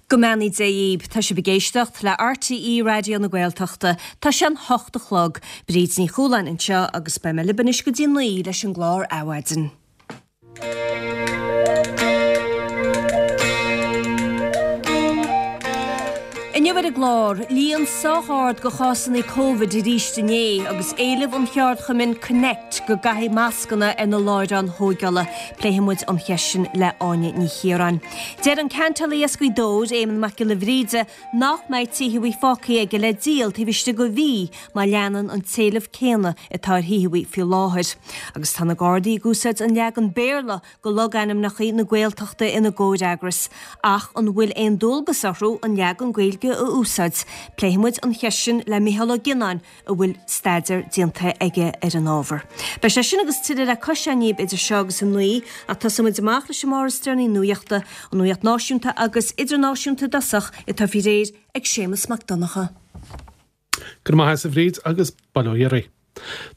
Go mbeannaí Dé dhíbh. Tá sibh ag éisteacht le RTÉ Raidió na Gaeltachta. Tá sé an hocht a chlog. Bríd Ní Chualáin anseo agus beidh mé libh anois go dtí 9 leis an gclár Adhmhaidin. Inniu ar an gclár, líon sách ard de chásanna Covid arís inné agus éileamh an cheardchumainn Connect go gcaithfí mascanna ar na láithreáin thóigeála. Pléifidh muid an cheist sin le Áine Ní Chiaráin. Deir an ceantálaí as Gaoth Dobhair, Éamonn Mac Giolla Bhríde, nach mbeidh tithe fágtha aige le díol taobh istigh de mhí má leanann an t-éileamh céanna atá ar thithe faoi láthair. Agus tá na Gardaí ag úsáid an leagan Béarla de logainmneacha na Gaeltachta ina gcomhfhreagras. Ach an bhfuil aon dualgas orthu an leagan Gaeilge a úsáid? Pléifidh muid an cheist sin le Micheál Ó Gionnáin a bhfuil staidéar déanta aige ar an ábhar. Beidh sé sin agus tuilleadh le cloisteáil daoibh idir seo agus a 9, ach tosóidh muid amach leis an mbarr is deireanaí nuachta, an nuacht náisiúnta agus idirnáisiúnta i dtosach, atá faoi réir ag Séamus Mac Donncha. Go raibh maith agat a Bhríd agus bail ó Dhia oraibh.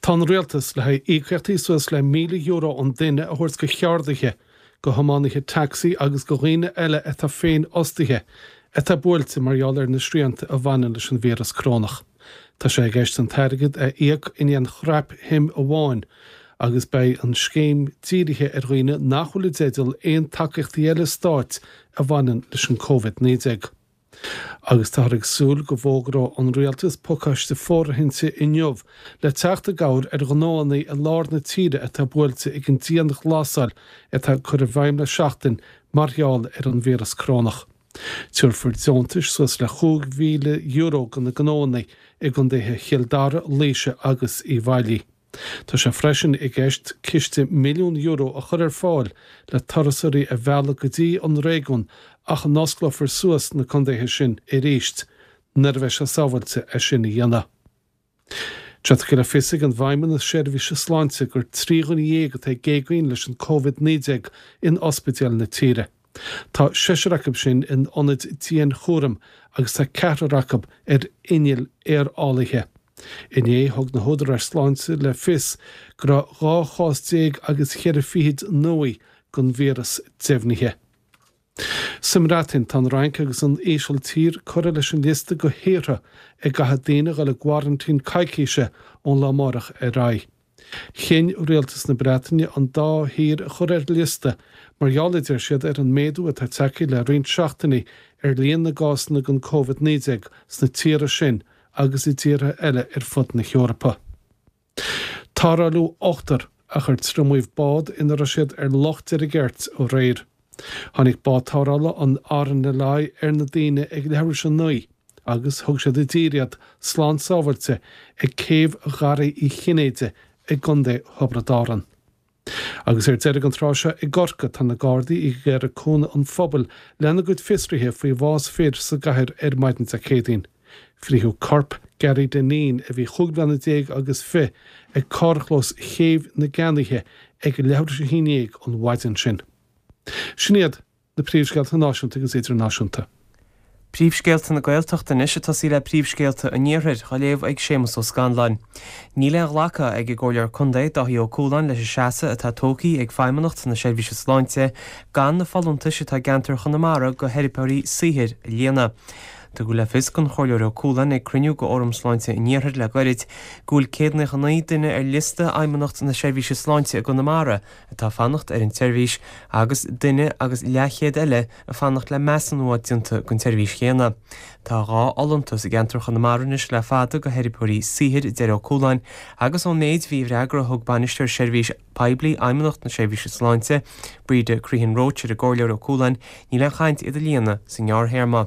Tá an Rialtas le haghaidh íocaíochtaí suas le €1,000 an duine a thabhairt go cheardaithe, go thiománaithe tacsaí agus go dhaoine eile atá féinfhostaithe atá buailte mar gheall ar na srianta a bhaineann leis an víreas corónach. Tá sé i gceist an t-airgead a íoc in aon chrapshuim amháin agus beidh an scéim dírithe ar dhaoine nach bhfuil i dteideal aon tacaíochtaí eile stáit a bhaineann leis an Covid-19. Agus táthar ag súil go bhfógróidh an Rialtas pacáiste fóirithinte inniu le teacht i gcabhair ar ghnóanna i lár na tíre atá buailte ag an dianghlasáil atá curtha i bhfeidhm le seachtain mar gheall ar an víreas corónach. Tabharfar deontais suas le €5,000 do na gnóanna i gcontaetha Chill Dara, Laoise agus Uíbh Fhailí. Tá sé freisin i gceist ciste €1,000,000 a chur ar fáil le turasóirí a mhealladh go dtí an réigiún ach a n-osclófar suas na contaetha sin arís nuair a bheidh sé sábháilte é sin a dhéanamh. Tá tugtha le fios ag an bhFeidhmeannas Seirbhíse Sláinte gur 13 dhuine atá ag géagaoin leis an Covid-19 in ospidéil na tíre. Tá seisear acu sin in ionaid dianchúraim agus tá ceathrar acu ar innill aerálaithe. Inné, thug na húdaráis sláinte le fios go raibh 12 chás agus cheithre fichid nua den víreas deimhnithe. Sa mBreatain, tá an Fhrainc agus an Ísiltír curtha leis an liosta de thíortha a gcaithfidh daoine a dhul i gcoraintín coicíse ón lá amárach ar aghaidh. Chinn rialtas na Breataine an dá thír a chur ar an liosta mar gheall, a deir siad, ar an méadú atá tagtha le roinnt seachtainí ar líon na gcásanna den Covid-19 sna tíortha sin agus i dtíortha eile ar fud na hEorpa. Tarrtháladh ochtar ach ar triomaíodh bád ina raibh siad ar Loch Deirgeirt aréir. Tháinig bád tarrthála an RNLI ar na daoine ag leathuair tar éis a 9 agus thug siad i dtír iad slán sábháilte ag céibh Gharraí Uí Chinnéide i gContae Thiobraid Árann. Agus ar deireadh an tráth seo i gCorcaigh tá na Gardaí ag iarraidh cúnamh an phobail lena gcuid fiosruithe faoi bhás fir sa gcathair ar maidin Dé Céadaoin. Frítheadh corp Gary Dineen, a bhí chúig bliana déag agus fi, ag carrchlós Chéibh na gCeannaithe ag leathuair tar éis a haon dhéag an mhaidin sin. Sin iad. Na príomhscéalta náisiúnta agus idirnáisiúnta. Príomhscéalta na Gaeltachta anois ag tosaí le príomhscéalta an Iarthair, á léamh ag Séamus Ó Scanláin. Níl aon ghlacadh ag an gComhairleoir Contae, Dáithí Ó Cualáin leis an seasamh atá tógtha ag Feidhmeannacht na Seirbhíse Sláinte gan na folúntais atá i gceantar Chonamara go theiripeoirí saothair a líonadh. Tugadh le fios don Chomhairleoir Ó Cualáin ag cruinniú go Fhóram Sláinte an Iarthair le gairid go bhfuil 199 duine ar liosta Fheidhmeannacht na Seirbhíse Sláinte i gConamara atá ag fanacht ar an tseirbhís agus duine agus leathchéad eile ag fanacht le measúnú a bheith déanta don tseirbhís chéanna. Tá 2 fholúntas i gceantar Chonamara anois le fada go theiripeoirí saothair, a deir Ó Cualáin, agus ón méid a bhí i bhfreagra a thug Bainisteoir Seirbhís Poiblí Fheidhmeannacht na Seirbhíse Sláinte, Breda Crehan Roche ar an gComhairleoir Ó Cualáin, níl aon chaint iad a líonadh sa ngearrthéarma.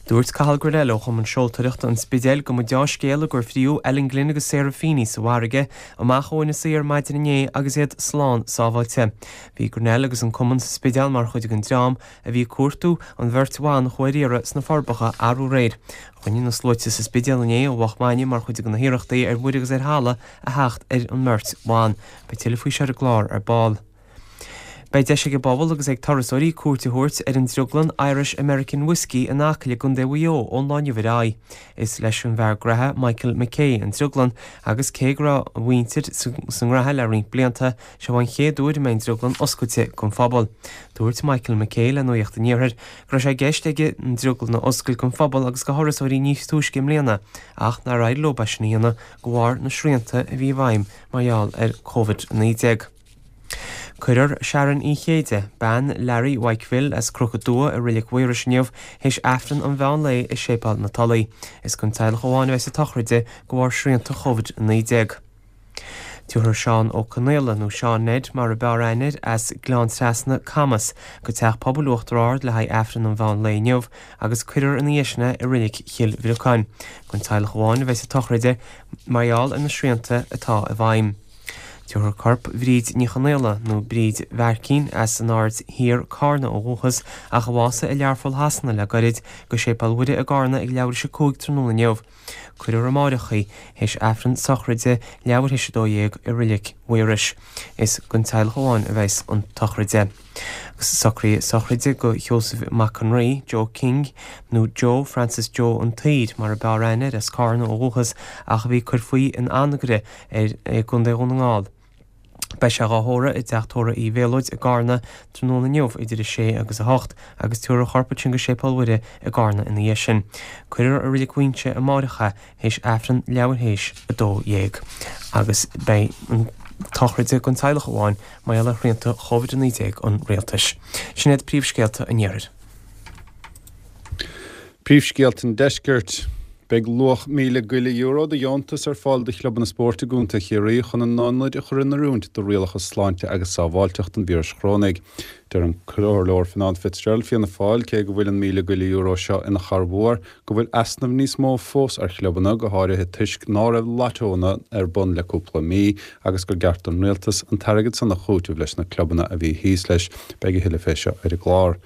Dúirt Cathal Grennell ó Chumann Seoltóireachta an Spidéil go mba deá-scéala gur fríodh Ellen Glynn agus Sarah Feeney sa bhfarraige amach ó Inis Oírr maidin inné agus iad slán sábháilte. Bhí Grennell agus an cumann sa Spidéal mar chuid den dream a bhí ag cuartú an bheirt bhan a chuaigh ar iarraidh sna Forbacha arú aréir. Chruinnigh na sluaite sa Spidéal inné ó mhoch maidne mar chuid de na hiarrachtaí ar mhuir agus ar thalamh a theacht ar an mbeirt bhan. Beidh tuilleadh faoi seo ar an gclár ar ball. Beidh deis ag an bpobal agus ag turasóirí cuairt a thabhairt ar an drioglann Irish American Whiskey in Acaill i gContae Mhaigh Eo ón lá inniu ar aghaidh. Is leis an bhfear graithe Michael McKay an drioglann agus cé go raibh a mhuintir sa ngraithe le roinnt blianta, seo an chéad uair a mbeidh an drioglann oscailte don phobal. Dúirt Michael McKay le Nuacht an Iarthair go raibh sé i gceist aige an drioglann a oscailt don phobal agus do thurasóirí níos túisce i mbliana ach nár éirigh leo é sin a dhéanamh de bharr na srianta a bhí i bhfeidhm mar gheall ar Covid-19. Cuirfear Sharon Uí Chéide, bean Larry Mhaidhc Bhill as Cnoc Dua i Reilig Mhaorais inniu théis Aifreann an mheán lae i Séipéal na Tulaí. Is don teaghlach amháin a bheas an tsochraid de bharr srianta Covid-19. Tabharfar Seán Ó Conaola, nó Seán Ned mar a b'fhearr aithne air, as Gleann Trasna, Camas, go Teach Pobail Uachtar Ard le haghaidh Aifreann an mheán lae inniu agus cuirfear ina dhiaidh sin é i Reilig Chill Bhriocáin. Don teaghlach amháin a bheas an tsochraid de mar gheall ar na srianta atá i bhfeidhm. Tabharfar corp Bhríd Ní Chonaola, nó Bríd Mhaircín, as an Aird Thiar, Cárna ó dhúchas, ach a bhásaigh i Learpholl Shasana le gairid, go Séipéal Mhuire i gCárna ag leathuair théis 5 tráthnóna inniu. Cuirfear amáireach í, théis Aifreann sochraide leathuair théis 12 i Reilig Mhaorais. Is don teaghlach amháin a bheas an tsochraid. Agus socruithe sochraide do Sheosamh Mac an Rí, Joe King, nó Joe Francis Joe an tSaoir mar a b'fhearr aithne air, as Cárna ó dhúchas ach a bhí ag cur faoi in Anagaire ar i gContae Dhún na nGall. Beidh sé dhá thórramh i dTeach Tórraimh Uí Mhéalóid i gCarna tráthnóna inniu idir 6 agus 8 agus tabharfar a chorp ansin go Séipéal Mhuire i gCarna ina dhiaidh sin. Cuirfear i Reilig Mhuighinse amáireach é théis Aifreann leathuair théis 12 agus beidh an tsochraid don teaghlach amháin mar gheall ar shrianta Covid-19 an rialtais. Sin iad príomhscéalta an iarthair. Príomhscéalta an Deiscirt. Beidh luach €1,000 go leith de dheontas ar fáil do chlubanna spóirt i gContae Chiarraí chun a n-ionaid a chur in oiriúint do rialacha sláinte agus sábháilteachta an víris chorónaigh. Deir an Comhairleoir Fionnán Fitzgerald, Fianna Fáil, cé go bhfuil an €1,000 go leith seo ina chorrmhór, go bhfuil easnamh níos mó fós ar chlubanna, go háirithe toisc ná raibh lottónna ar bun le cúpla mí, agus gur ceart don Rialtas an t-airgead san a chúiteamh leis na clubanna a bhí thíos leis. Beidh a thuilleadh fé seo ar an gclár.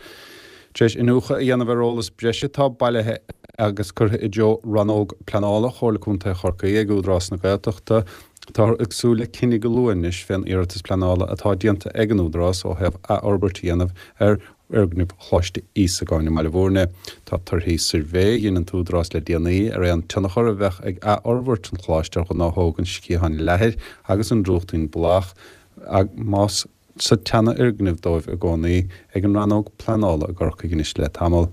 Tar éis iniúchadh a dhéanamh ar eolas breise atá bailithe agus curtha i dtreo Rannóg Pleanála Chomhairle Contae Chorcaí ag Údarás na Gaeltachta, táthar ag súil le cinneadh go luath anois fén iarratas pleanála atá déanta ag an Údarás ó thaobh athfhorbairt a dhéanamh ar fhoirgneamh Choláiste Íosagáin i mBaile Bhúirne. Tá torthaí suirbhé a dhein an tÚdarás le déanaí ar aon tionchar a bheadh ag athfhorbairt an choláiste ar ghnáthóg an Sciatháin Leathair agus an Drúchtín Bláthach, más sa tseanfhoirgneamh dóibh i gcónaí, ag an Rannóg Pleanála i gCorcaigh anois le tamall.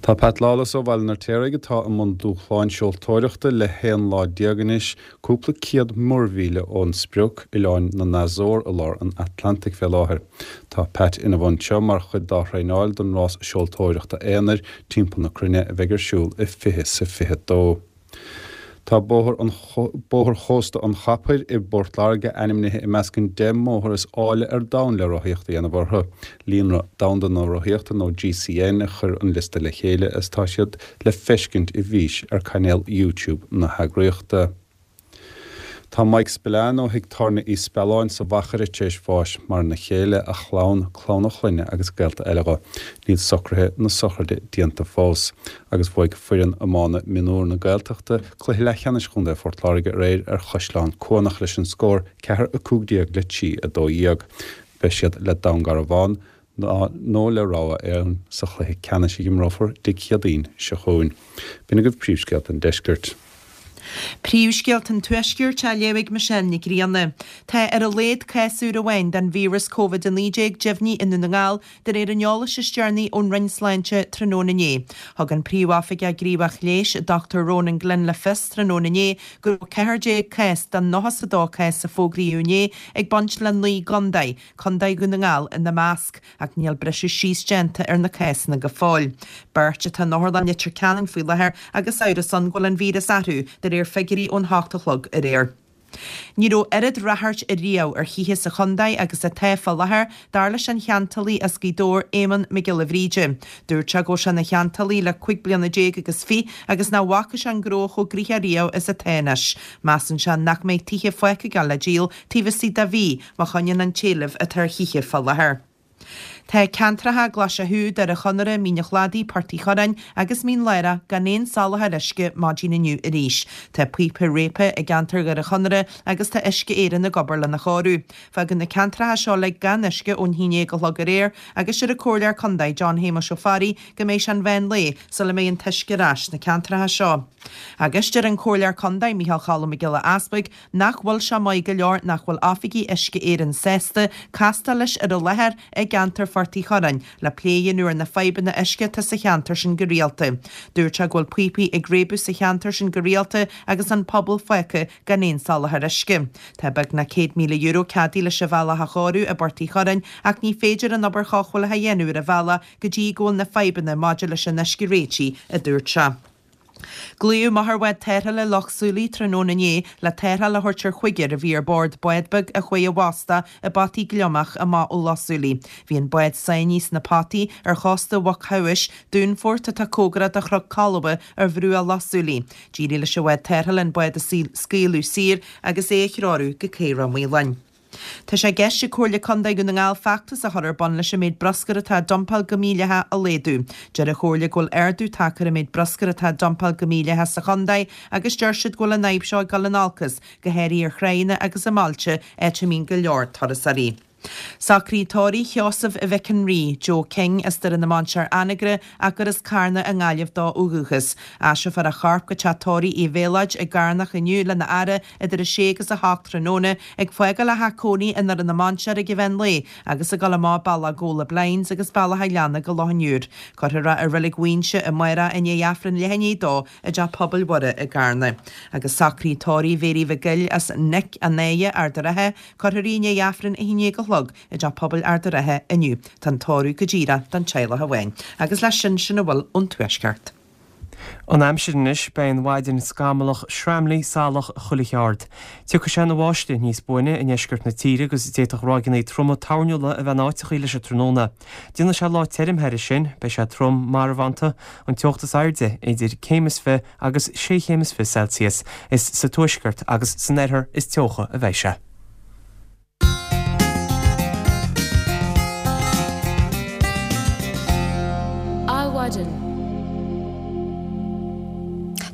Tá Pat Lawless ó Bhaile an Fheirtéaraigh, atá i mbun dúshláin seoltóireachta le 11 lá anois, cúpla 100 muirmhíle ón sprioc, oileáin na nAzór i lár an Atlantaigh fé láthair. Tá Pat ina bhun seo mar chuid dá thraenáil don rás seoltóireachta aonair timpeall na cruinne a bheidh ar siúl i 2022. Tá Bóthar an Bóthar Chósta an Chaphair i bPort Láirge ainmnithe i measc an 10 mbóthar is áille ar domhan le rothaíocht a dhéanamh orthu. Líonra Domhanda na Rothaíochta nó GCN a chuir an liosta le chéile agus tá siad le feiscint i bhfís ar cainéal YouTube na heagraíochta. Tá Mike Spillane ó thigh tábhairne Uí Spealáin sa Mhachaire tar éis bháis, maireann a chéile, a chlann, clann a chlainne agus gaolta eile dho. Níl socruithe na sochraide déanta fós. Agus bhuaigh foireann iomána mionúr na Gaeltachta cluiche leathcheannais Chontae Phort Láirge aréir ar Chaisleán Cuanach leis an scór 4-15 le 3-12. Beidh siad le Dún Garbhán nó le rogha fhoireann sa chluiche ceannais a imreofar Dé Céadaoin seo chugainn. B'in agaibh príomhscéalta an deiscirt. Príomhscéalta an Tuaiscirt á léamh ag Michelle Nic Grianna. Tá ar a laghad cás úr amháin den víreas Covid-19 deimhnithe i nDún na nGall de réir an eolais is deireanaí ón Roinn Sláinte tráthnóna inné. Thug an Príomhoifigeach Gníomhach Leighis, Dr Ronan Glynn le fios tráthnóna inné go raibh 14 cás den 92 cás a fógraíodh inné ag baint le 9 gcontae, Contae Dhún na nGall ina measc, ach níl briseadh síos déanta ar na cásanna go fóill. Beirt atá in Otharlann Leitir Ceanainn faoi láthair agus amhras ann go bhfuil an víreas orthu, de réir figiúirí ón hocht a chlog aréir. Ní raibh oiread ráchairt ariamh ar thithe sa chontae agus atá fá láthair, dar leis an cheantálaí as Gaoth Dobhair, Éamonn Mac Giolla Bhríde. Dúirt sé go bhfuil sé ina cheantálaí le 15 bliana agus fiche agus nach bhfaca sé an gnó chomh gnoitheach riamh is atá anois. Measann sé nach mbeidh tithe fágtha ag gabháil le díol taobh istigh de mhí má choinníonn an t-éileamh atá ar thithe fá láthair. Tá ceantracha Glaise Chú, Doire Chonaire, Mín an Chladaigh, Port Uí Churráin agus Mín Lárach gan aon soláthar uisce maidin inniu arís. Tá píopa réabtha i gceantar Dhoire Chonaire agus tá Uisce Éireann ag obair lena chóiriú. Fágadh na ceantracha seo uilig gan uisce ón haon déag a chlog aréir agus deir an Comhairleoir Contae John Shéamuis Ó Fearraigh go mbeidh sé an mheán lae sula mbeidh an t-uisce ar ais sna ceantracha seo. Agus deir an Comhairleoir Contae Micheál Cholm Mac Giolla Easbuig nach bhfuil sé maith go leor nach bhfuil oifigigh Uisce Éireann sásta castáil leis ar an láthair i gceantar Phort Uí Churráin le plé a dhéanamh ar na fadhbanna uisce atá sa cheantar sin go rialta. Dúirt sé go bhfuil píopaí ag réabadh sa cheantar sin go rialta agus an pobal fágtha gan aon soláthar uisce. Tá beagnach €100,000 ceadaithe leis an bhealach a chóiriú i bPort Uí Churráin ach ní féidir an obair chothabhála a dhéanamh ar an bhealach go dtí go bhfuil na fadhbanna maidir leis an uisce réitithe, a dúirt sé. Glaodh amach ar bhád tarrthála Loch Súilí tráthnóna inné le tarrtháil a thabhairt ar chúigear a bhí ar bord bád beag a chuaigh i bhfostach i bpotaí gliomach amach ó Loch Súilí. Bhí an bád sáinnithe sna potaí ar chósta Mhuc Shamhais, dúnfort atá cóngarach do Chnoc Columba ar bhruach Loch Súilí. D'éirigh leis an bhád tarrthála an bád a scaoileadh saor agus é a threorú go Cé Ráth Maoláin. Tá sé i gceist ag Comhairle Contae Dhún na nGall feachtas a chur ar bun leis an méid bruscair atá á dumpáil go mídhleathach a laghdú. Deir an Chomhairle go bhfuil ardú tagtha ar an méid bruscair atá á dumpáil go mídhleathach sa chontae agus deir siad go bhfuil an fhadhb seo ag dul in olcas, go háirithe ar thráigheanna agus i mbailte, áit a mbíonn go leor turasóirí. Socruithe tórraimh Sheosaimh Mhic an Rí, Joe King, as Doire na Mainséar Anagaire ach gur as Carna i nGaillimh dó ó dhúchas. Aistreofar a chorp go teach tórraimh Uí Mhéalóid i gCarnach inniu lena fhaire idir 6 agus 8 tráthnóna, ag fágáil a theach cónaí i nDoire na Mainséar ag an mheán lae agus ag dul amach bealach Gabhla Blinds agus bealach an Ghleanna go Loch an Iúir. Cuirfear é i Reilig Mhaínse amárach i ndiaidh Aifreann leath i ndiaidh a dó i dTeach Pobail Mhuire i gCarna. Agus socruithe tórraimh Mhéirí Mhic Goill as Nic an Áighe, Ard an Rátha, Cuirfear í i ndiaidh Aifreann 11 a chlog i dTeach Pobail Ard an Rátha inniu. Tá an tórramh go díreach don teaghlach amháin. Agus leis sin, sin a bhfuil ón Tuaisceart. An aimsir anois, beidh an mhaidin scamallach, sraimligh, salach chuile cheard. Tiocfaidh sé ina bháisteach níos buaine i ndeisceart na tíre agus d'fhéadfadh ráigeanna troma toirniúla a bheith in áiteachaí leis an tráthnóna. Déanfaidh sé lá tirim thairis sin, beidh sé trom marbhánta, an teocht is airde idir céim is fi agus sé chéim is fi Celsius. Is sa tuaisceart agus san oirthear is teocha a bheidh sé. Adhmhaidin.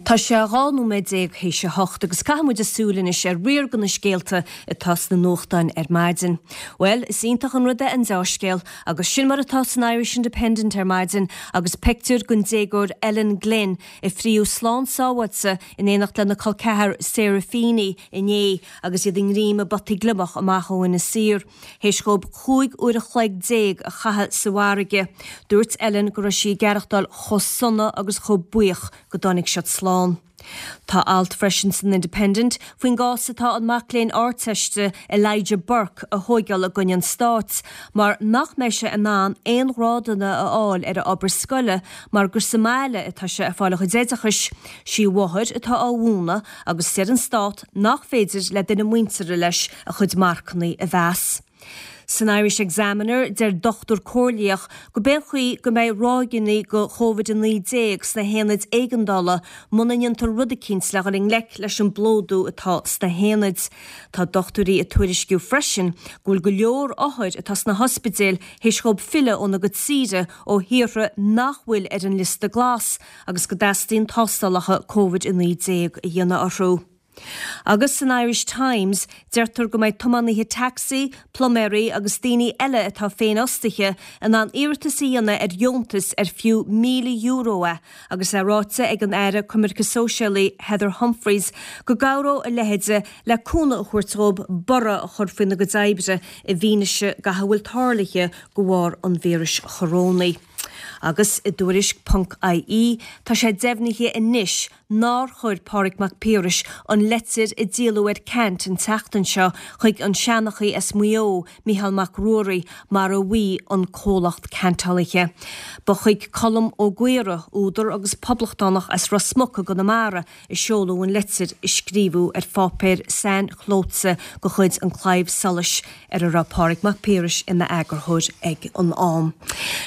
Tá sé 12 nóiméad théis a hocht agus caithfidh muid súil anois ar riar de na scéalta atá sna nuachtáin ar maidin. Bhuel, is iontach an rud é an deá-scéal agus sin mar atá san Irish Independent ar maidin agus pictiúr den déagóir Ellen Glynn a fríodh slán sábháilte in éineacht lena col ceathar Sarah Feeney inné agus iad i ngreim i bpotaí gliomach amach ó Inis Oírr, théis dhóibh 15 uair a chloig a chaitheamh sa bhfarraige. Dúirt Ellen go raibh sí ag aireachtáil chomh sona agus chomh buíoch go dtáinig siad slán. Tá alt freisin san Independent faoin gcás atá an mac léinn Ardteiste Elijah Burke a thóigeáil i gcoinne an stáit mar nach mbeidh sé in ann aon ghrádanna a fháil ar a obair scoile mar gur sa mbaile atá sé ag fáil a chuid oideachais. Sí a mháthair atá á mhúineadh agus deir an stát nach féidir le duine muinteartha leis a chuid marcannaí a mheas. San Irish Examiner, deir dochtúir comhairleach go b'é an chaoi go mbeidh ráigeanna de Covid-19 sna haonaid éigeandála muna ndéantar rud eicínt le dhul i ngleic leis an bplódú atá sna haonaid. Tá dochtúirí ag tuairisciú freisin go bhfuil go leor othair atá sna hospidéil théis dhóibh filleadh óna gcuid saoire ó thíortha nach bhfuil ar an liosta glas agus go dteastaíonn tástálacha Covid-19 a dhéanamh orthu. Agus san Irish Times, deirtear go mbeidh tiománaithe tacsaí, pluiméirí agus daoine eile atá féinfhostaithe in ann iarratas a dhéanamh ar dheontas ar fiú €1,000 é agus é ráite ag an Aire Coimirce Sóisialaí Heather Humphreys go gcabhródh a leithéide le cúnamh a thabhairt dhóibh borradh a chur faoina gcuid oibre i bhfianaise gach a bhfuil tarlaithe de bharr an víris chorónaigh. Agus i dTuairisc ponc IE tá sé deimhnithe anois nár chuir Pádraig Mac Piarais an leitir a díoladh ar Ceant an tseachtain seo chuig an seanchaí as Maigh Eo, Mícheál Mac Ruairí, mar a mhaígh an comhlacht ceantálaithe. Ba chuig Colm Ó Gaora, údar agus poblachtánach as Ros Muc i gConamara, a seoladh an leitir a scríobhadh ar pháipéar sain-chlóite de chuid An Claidheamh Soluis ar a raibh Pádraig Mac Piarais ina eagarthóir ag an am.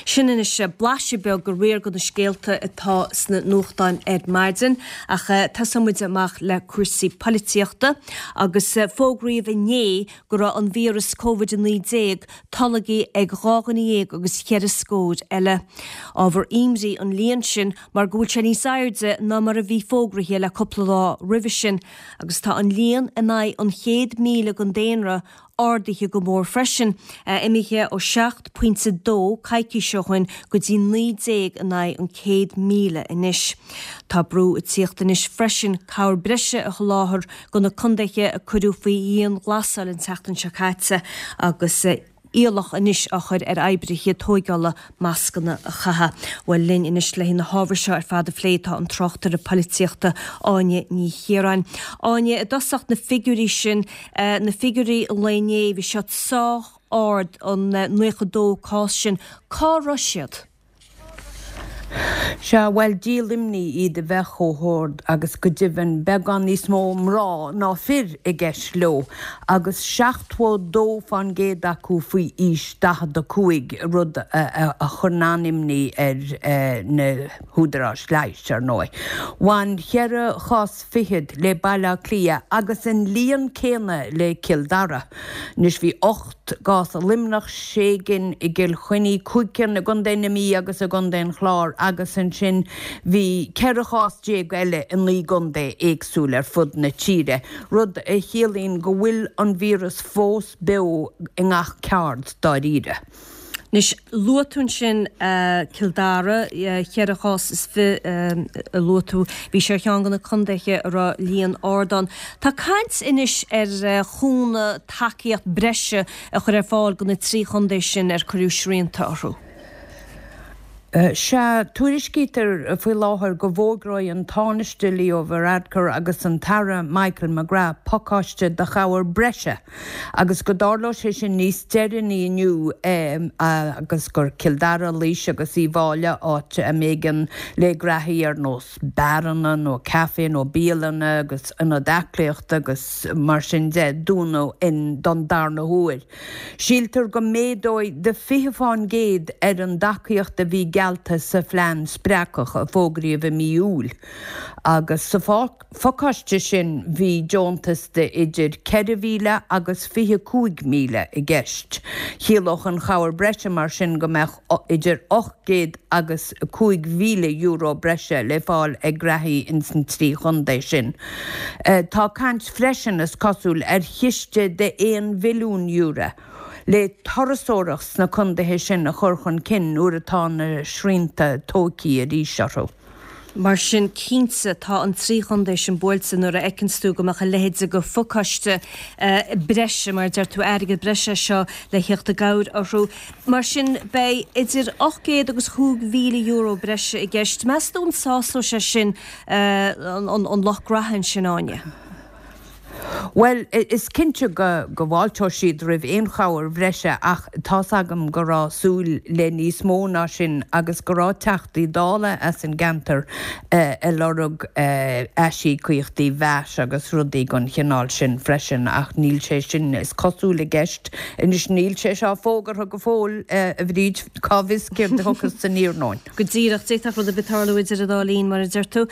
Sin anois blaiseadh beag de riar de na scéalta atá sna nuachtáin ar maidin ach tosóidh muid amach le cúrsaí poilitíochta agus fógraíodh inné go raibh an víreas Covid-19 tolgtha ag 12 dhuine agus cheithre scór eile. Ábhar imní an líon sin mar go bhfuil sé níos airde ná mar a bhí fógraithe le cúpla lá roimhe sin agus tá an líon in aghaidh an 100,000 den daonra ardaithe go mór freisin, imithe ó 7.2 coicís ó shin go dtí 19 in aghaidh an 100,000 anois. Tá brú ag tíocht anois freisin cabhair breise a sholáthar do na contaetha a cuireadh faoi dhianghlasáil an tseachtain seo caite agus iallach anois á chur ar oibrithe tóigeála mascanna a chaitheamh. Bhuel linn anois le na hábhair seo ar fad a phlé tá an tráchtaire poilitíochta Áine Ní Chiaráin. Áine, i dtosach na figiúirí sin, na figiúirí an lae inné, bhí siad sách ard, an 92 cás sin, cá raibh siad? Sea, bhuel, díol imní iad a bheith chomh hard agus go deimhin beagán níos mó mná ná fir i gceist leo, agus 72% acu faoi aois 45, rud a chuireann an-imní ar na húdaráis leighis, ar ndóigh. Bhain cheithre chás fichead le Baile Átha Cliath agus an líon céanna le Cill Dara. Anois bhí 8 gcás i Luimneach, sé gcinn i gCill Chainnigh, 5 cinn i gContae na Mí agus i gContae an Chláir agus ansin bhí 14 chás eile i naoi gcontae éagsúil ar fud na tíre, rud a chiallaíonn go bhfuil an víreas fós beo i ngach ceard dáiríre. Anois, luaigh tú ansin Cill Dara, cheithre chás is fi a luaigh tú. Bhí sé ar cheann de na contaetha a raibh líon ard ann. Tá caint anois ar chúnamh, tacaíocht breise a chur ar fáil do na trí chontae sin ar cuireadh srianta orthu. Sea, tuairiscítear faoi láthair go bhfógróidh an Tánaiste Leo Varadkar agus an tAire Michael McGrath pacáiste de chabhair breise agus go dtarlóidh sé sin níos deireanaí inniu agus gur Cill Dara, Laois agus Uíbh Fhailí áit a mb'éigean le graithí ar nós beáranna nó caife nó bialanna agus ionaid aclaíochta agus mar sin de dúnadh in don darna huair. Síltear go méadóidh de 20% ar an dtacaíocht a bhí geallta sa phlean spreagthach a fógraíodh i mí Iúil agus sa phacáiste sin bhí deontas de idir 4,000 agus 25,000 i gceist. Chiallódh an chabhair breise mar sin go mbeadh idir 800 agus €5,000 breise le fáil ag graithí ins an trí chontae sin. Tá caint freisin, is cosúil, ar chiste de €1 bhilliún le turasóireacht sna contaetha sin a chur chun cinn nuair atá na srianta tóigthí arís orthu. Mar sin, cinnte, tá an trí chontae sin buailte nuair a fheiceanns tú go mbeadh a leithéid de phacáiste breise, mar a deir tú, airgead breise é seo le theacht i gcabhair orthu. Mar sin, beidh idir 800 agus €5,000 breise i gceist. Meas tú an sásóidh sé sin an lucht graithe ansin, Áine? Bhuel, is cinnte go bhfáilteoidh siad roimh aon chabhair bhreise ach tá's agam go raibh súil le níos mó ná sin agus go raibh Teachtaí Dála as an gceantar ag lorg aisíocaíochtaí VAT agus rudaí den chineál sin freisin ach níl sé sin, is cosúil, i gceist anois. Níl sé seo fógartha go fóill, a Bhríd, cá bhfios céard a thiocfas aniar romhainn. Go díreach, d'fhéadfadh rud ar bith tarlú idir an dá linn, mar a deir tú.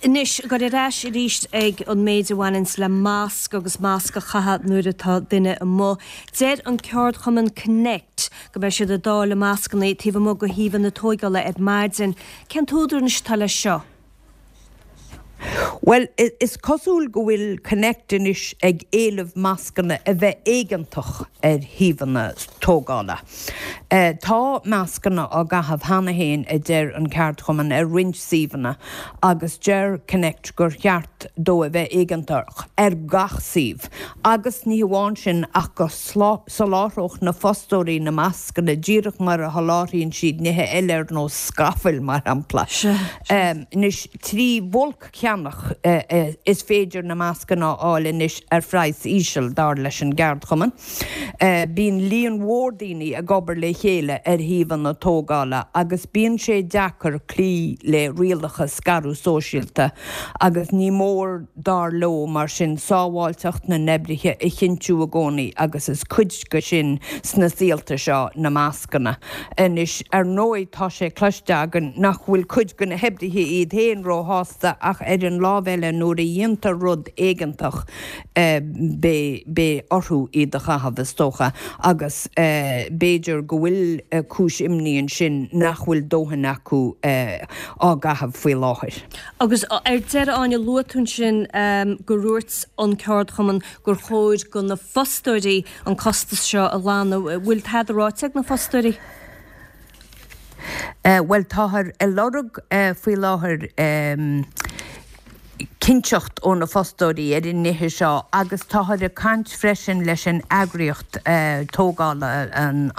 Anois, goil ar ais arís ag an méid a bhaineanns le masc agus masc a chaitheamh nuair atá duine amuigh. Deir an ceardchumann Connect go mbeidh siad ag dáileadh mascanna taobh amuigh de shuíomhanna tóigeála ar maidin. Cén t-údar anois atá leis seo? Bhuel, is cosúil go bhfuil Connect anois ag éileamh mascanna a bheith éigeantach ar shuíomhanna tógála. Tá mascanna á gcaitheamh cheana féin, a deir an ceardchumann, ar roinnt suíomhanna agus deir Connect gur cheart dó a bheith éigeantach ar gach suíomh agus ní hamháin sin ach go soláthródh na fostóirí na mascanna díreach mar a sholáthraíonn siad nithe eile ar nós scafaill, mar shampla. Anois, trí bhulc-cheannach. Is féidir na mascanna a fháil anois ar phraghas íseal, dar leis an gceardchumann. Bíonn líon mhór daoine ag obair le chéile ar shuíomhanna tógála agus bíonn sé deacair cloí le rialacha scaradh sóisialta agus ní mór, dar leo, mar sin, sábháilteacht na n-oibrithe a chinntiú i gcónaí agus is cuid de sin sna saolta seo na mascanna. Anois, ar ndóigh, tá sé cloiste againn nach bhfuil cuid de na hoibrithe iad féin róshásta ach ar an lámh eile nuair a dhéantar rud éigeantach beidh orthu iad a chaitheamh, is dócha, agus b'fhéidir go bhfuil cúis imní ansin nach bhfuil dóthain acu á gcaitheamh faoi láthair. Agus ar deireadh, Áine, luaigh tú ansin gur dhúirt an ceardchumann gur chóir do na fostóirí an costas seo a ghlanadh. Bhfuil tada ráite ag na fostóirí? Bhuel, táthar ag lorg faoi láthair cinnteacht ó na fostóirí ar an nithe seo agus táthar ag caint freisin leis an eagraíocht tógála, an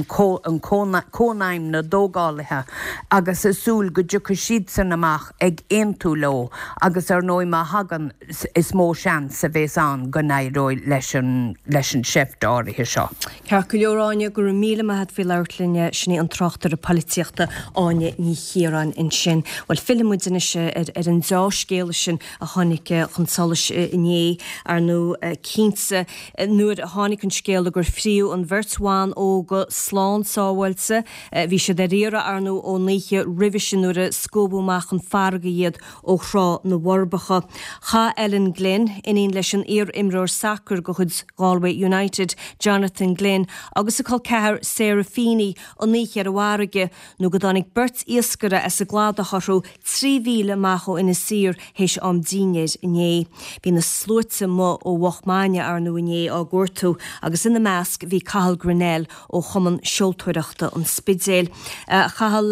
Cónaidhm na dTógálaithe agus ag súil go dtiocfaidh siadsan amach ag aontú leo agus ar ndóigh má thagann is mó seans a bhéas ann go n-éireoidh leis an leis an seift áirithe seo. Ceart go leor Áine, go raibh míle maith a't faoi labhairt linn. Sin í an tráchtaire poilitíochta Áine Ní Chiaráin ansin. Bhuel fillfidh muid anois ar ar an deá-scéala sin a tháinig chun solais inné. Ar ndóigh cinnte nuair a tháinig an scéala gur fríodh an bheirt bhan óga slán sábháilte, bhí siad ar iarraidh ar ndóigh ón oíche roimhe sin nuair a scuabadh amach chun farraige iad ó Thrá na bhForbacha. Chaith Ellen Glynn, iníon leis an iar-imreoir sacair de chuid Galway United, Jonathan Glynn, agus a col ceathar Sarah Feeney an oíche ar an bhfarraige nó go dtáinig beirt iascaire as an gcladach orthu 3 mhíle amach ó Inis Oírr théis am dinnéir inné. Bhí na sluaite amuigh ó mhoch maidne ar ndóigh inné á gcuartú agus ina measc bhí Cathal Grennell ó Chumann Seoltóireachta an Spidéil. A Chathail,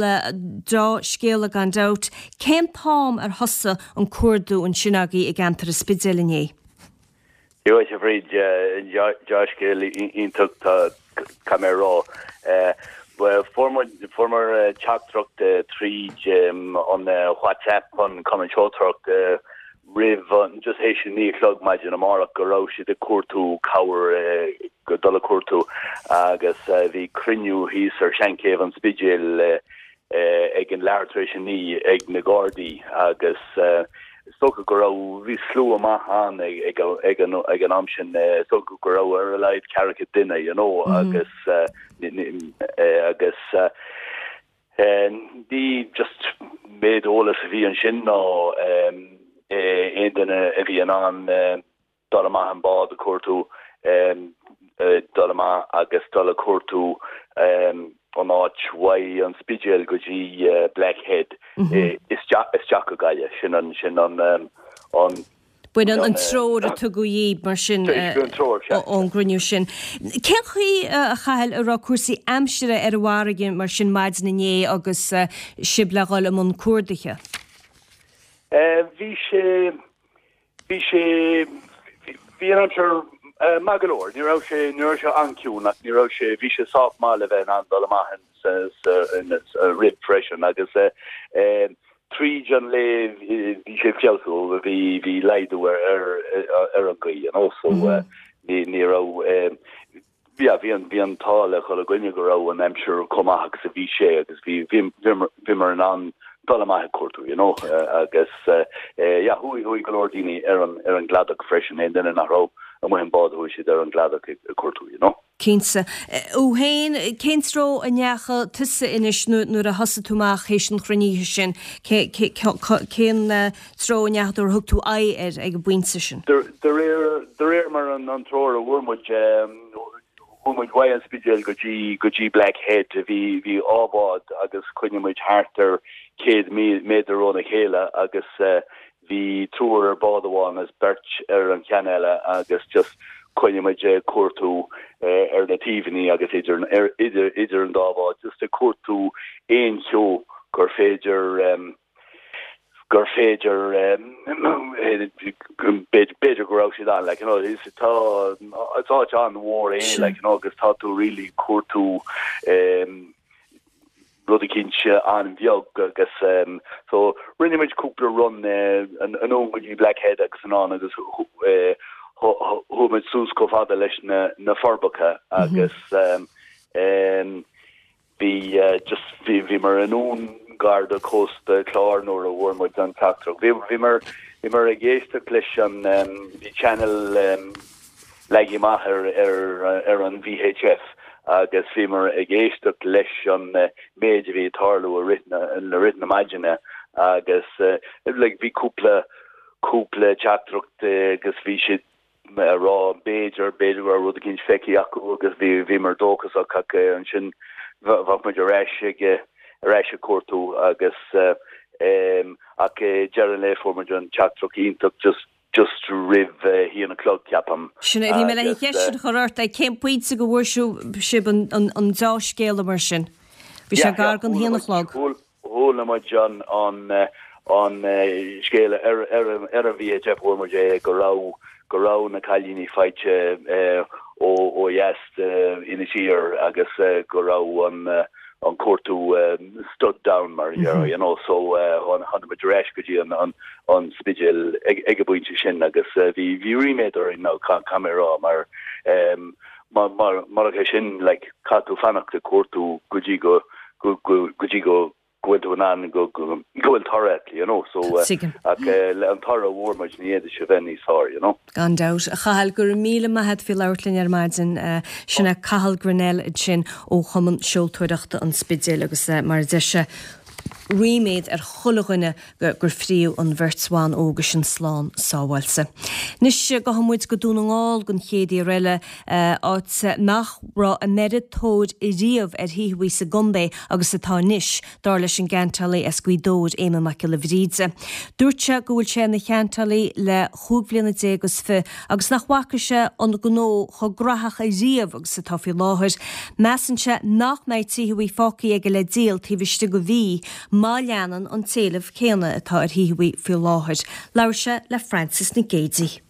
deá-scéala gan dabht. Cén t-am ar thosaigh an cuardú ansin agaibh i gceantar an Spidéil inné? Dia dhuit a Bhríd, deá-scéal iontach caithfidh mé a rá. Fuair muid, fuaireamar teachtaireacht tríd an WhatsApp an Cumann Seoltóireachta roimh an, just théis a 9 a chlog maidin amárach go raibh siad ag cuartú cabhair, dul ag cuartú agus bhí cruinniú thíos ar Sheanchéibh an Spidéil ag an leathuair tar éis a 9 ag na Gardaí agus is dócha go raibh, bhí slua maith ann ag ag an ag an am sin, is dócha go raibh ar a laghad ceathracha duine you know agus agus Ní just méid eolas a bhí ansin ná aon duine a bhí in ann dul amach an bád a cuartú, dul amach agus dul a cuartú an áit uaidh an Spidéal go dtí Black Head isteach go Gaillimh. Sin an, sin an, an. B'in an treoir a tugadh dhaoibh, mar sin, ón gcruinniú sin. Cén chaoi, a Chathail, a raibh cúrsaí aimsire ar an bhfarraige, mar sin, maidin inné agus sibh le dhul i mbun cuardaithe? Bhí sé, bhí sé, bhí an aimsir maith go leor. Ní raibh sé, ní raibh sé an-chiúin ach ní raibh sé, bhí sé sách maith le bheith in ann dul amach sa rith freisin agus tríd an lae bhí sé ag feabhsú, bhí bhí laghdú ar ar ar an ghaoth you know so ní ní raibh yeah bhí an bhí an t-ádh le chuile dhuine go raibh an aimsir chomh maith agus a bhí sé agus bhí bhí bhíomar in ann dul amach ag cuartú you know agus yeah chuaigh chuaigh go leor daoine ar an ar an gcladach freisin aon duine nach raibh amuigh an bád chuaigh siad ar an gcladach ag cuartú you know. Cinnte. Thú féin, cén treo a ndeachaigh tusa anois nuair a thosaigh tú amach théis an chruinnithe sin? Cén treo a ndeachaigh tú, ar thug tú aghaidh air ag an bpointe sin? De réir mar an treoir a fuair muid, chuaigh muid uaidh an Spidéal go dtí go dtí Black Head. Bhí bhí dhá bhád agus choinnigh muid thart ar 100 méadar óna chéile agus Bhí triúr ar bád amháin agus beirt ar an cheann eile agus just choinnigh muid ag cuartú ar na taobhannaí agus idir idir idir an dá bhád just ag cuartú aon cheo gur féidir gur féidir b'fhéidir go raibh siad ann like you know is tá is áit an-mhór é like you know agus tá tú really cuartú. rud eicínt an-bheag agus so rinne muid cúpla run anonn go dtí Black Head agus anonn agus chuaigh muid suas chomh fada leis na Forbacha agus bhí just bhí bhíomar i ndún gar do chósta Chláir nuair a bhfuair muid an teachtaireacht. Bhí bhíomar bhíomar ag éisteacht leis an bhí channel leagtha amach ar ar an VHF agus bhíomar ag éisteacht leis an méid a bhí ag tarlú i rith na i rith na maidine agus like bhí cúpla cúpla teachtaireacht agus bhí siad ag rá b'fhéidir b'fhéidir go raibh rud eicínt feicthe acu agus bhí bhíomar dóchasach ach ansin bheadh muid ar ais ag ar ais ag cuartú agus ach deireadh an lae fuair muid an teachtaireacht iontach just just roimh a haon a chlog, ceapaim. Sin é, bhí mé le an cheist sin a chur ort, ag cén pointe go bhfuair sibh an deá-scéala mar sin? Bhí sé gar don haon a chlog. Chuala muid an an scéala ar ar an VHF, fuair muid é go raibh go raibh na cailíní faighte ó ó dheas d'Inis Oírr agus go raibh an an cuartú stood down mar a déarfá, you know, so tháinig muid ar ais go dtí an an Spidéal ag ag an bpointe sin agus bhí bhí ríméad orainn now caithfidh mé a rá mar mar mar murach é sin like caithfidh tú fanacht ag cuartú go dtí go go go go dtí go go bhfuil tú in ann go go bhfuil toradh acu, you know, so ach an toradh a bhfuair muid ní fhéadfadh sé bheith níos fearr, you know. Gan dabht. A Chathail, go raibh míle maith a't faoi labhairt linn ar maidin. Sin é Cathal Grennell ansin ó Chumann Seoltóireachta an Spidéil agus mar a deir sé, ríméad ar chuile dhuine gur fríodh an bheirt bhan óga sin slán sábháilte. Anois gabhfaidh muid go Dún na nGall don chéad uair eile, áit nach raibh an oiread tóir riamh ar thithe sa gcontae agus atá anois, dar leis an gceantálaí as Gaoth Dobhair, Éamonn Mac Giolla Bhríde. Dúirt sé go bhfuil sé ina cheantálaí le chúig bhliana déag is fi agus nach bhfaca sé an gnó chomh graitheach ariamh agus atá faoi láthair. Measann sé nach mbeidh tithe fágtha aige le díol taobh istigh de mhí má leanann an t-éileamh céanna atá ar thithe faoi láthair. Labhair sé le Frances Nic Géadaigh.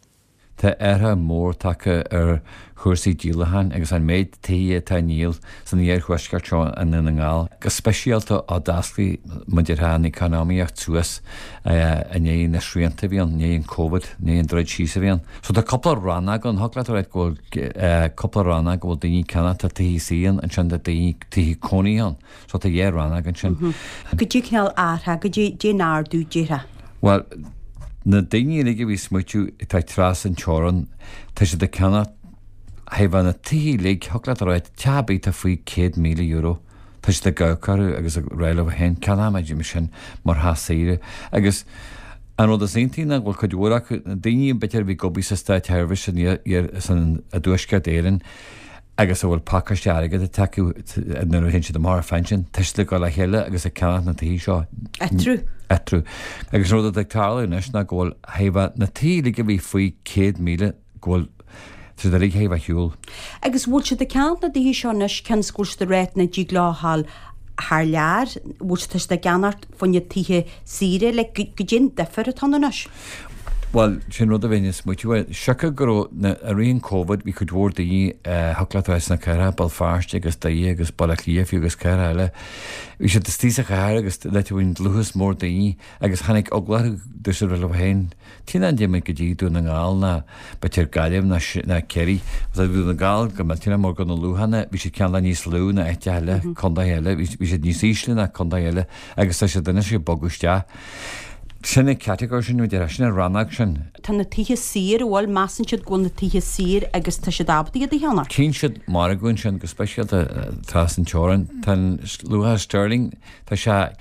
Tá athrú mór tagtha ar chúrsaí díolacháin agus an méid tithe atá á ndíol san iarthuaisceart seo i nDún na nGall, go speisialta ó d'oscail mar a déarfá an economaíocht suas i ndiaidh na srianta a bhí ann, i ndiaidh an Covid, i ndiaidh an druid síos a bhí ann. So tá cúpla rannóg ann, thig leat a rá go bhfuil cúpla rannóg go bhfuil daoine ag ceannacht, tá tithe saoire ann, ansin tá daoine, tithe cónaithe ann. So tá dhá rannóg ansin. Goidé cineál athrú, goidé an ardú déarfá. Bhuel, na daoine uilig a bhí ag smaoitiú atá trasna an teorann, tá siad ag ceannacht thaobh na tithe uilig, thig leat a rá, teach ar bith atá faoi €100,000, tá siad ag amharc orthu agus ag rá leo féin, ceannóidh muid sin mar theach saoire. Agus an rud is iontaí ná go bhfuil cuid mhór acu, na daoine b'fhéidir a bhí ag obair sa státsheirbhís san i dTuaisceart Éireann, agus a bhfuil pacáiste airgid acu nuair a théann siad amach ar phension, tá siad ag dul le chéile agus ag ceannacht na tithe seo. Eatarthu. Eatarthu. Agus an rud atá ag tarlú anois ná go bhfuil thaobh na tithe uilig a bhí faoi 100,000 go bhfuil siad uilig thaobh ar shiúl. Agus bhfuil siad ag ceannacht na dtithe seo anois cionn is go bhfuil siad ag ráit nach dtig leo a ghabháil thar lear, bhfuil siad tá siad ag ceannacht fá choinne tithe saoire, like goidé an difear atá ann anois. Bhuel, sin rud a bheinn ag smaoitiú air. Siocair go raibh na, i rith an Covid, bhí cuid mhór daoine, thiocfadh leat a rá sna cathracha, Béal Feirste agus Doire agus Baile Átha Cliath fiú agus cathracha eile, bhí siad istigh sa chathair agus like bhí an dlúthas mór daoine agus tháinig eagla orthu, dúirt siad leo féin, Cén fáth nach dtéann muid go dtí Dún na nGall ná b'fhéidir Gaillimh ná ná Ciarraí. Agus Dún na nGall go millteanach mar go na luachanna, bhí siad cineál níos lú ná áiteacha eile, contaetha eile, bhí bhí siad níos ísle ná contaetha eile agus tá siad anois ag bogadh isteach. Sin an catagóir sin, a déarfá, sin an rannóg sin. Tá na tithe saor, an bhfuil, measann siad go bhfuil na tithe saor agus tá siad ábalta iad a cheannach. Tchíonn siad margadh ansin, go speisialta trasna an teorainn. Tá an luach sterling, tá sé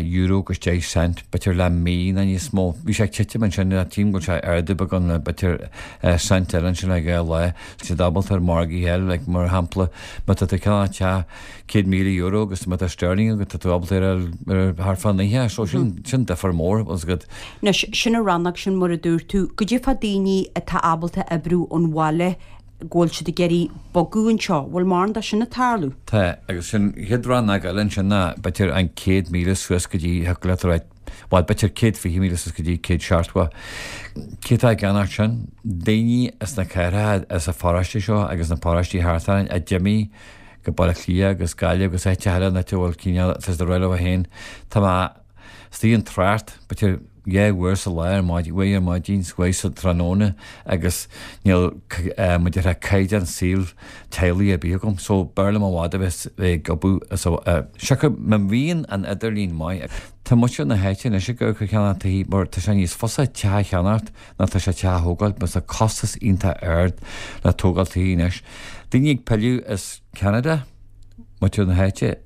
euro agus 10 cent, b'fhéidir le mí nó níos mó. Bhí sé ag titim ansin, tchím go bhfuil sé ag ardú beagán le b'fhéidir cent eile ansin le dhá lá. Tá siad ábalta ar mhargaí eile, like mar shampla, má tá tú ag ceannach teach €100,000 agus má tá sterling agat, tá tú ábalta ar ar thart fá 90, so sin sin difear mór, bhfuil a fhios agat. Anois, sin an rannóg sin mar a dúirt tú, goidé fá daoine atá ábalta oibriú ón bhaile go bhfuil siad ag iarraidh bogadh anseo, bhfuil mórán de sin ag tarlú? Tá, agus sin an chéad rannóg eile ansin ná b'fhéidir an 100,000 suas go dtí, thiocfadh leat a rá, bhuel b'fhéidir 120,000 suas go dtí 170. Cé atá ag ceannacht sin? Daoine as na cathracha, as an pharóiste seo agus na paróistí thart orainn a d'imigh. go Baile Átha Cliath agus Gaillimh agus áiteacha eile an áit a bhfuil cineál, tá siad ag rá leo féin, tá mé istigh an trácht, b'fhéidir 2 uair sa lá ar maidin, uair ar maidin 's uair sa tráthnóna agus níl mar a déarfá caighdeán saoil teaghlaigh ar bith agam so b'fhearr liom i bhfad a bheith ag obair so siocair má bhíonn an idirlíon maith. Tá muintir na háite anois ag amharc ar cheannacht tithe mar tá sé níos fusa teach a cheannacht ná tá sé teach a thógáil mar tá costas iontach ard le tógáil tithe anois. Daoine ag pilleadh as Ceanada, muintir na háite,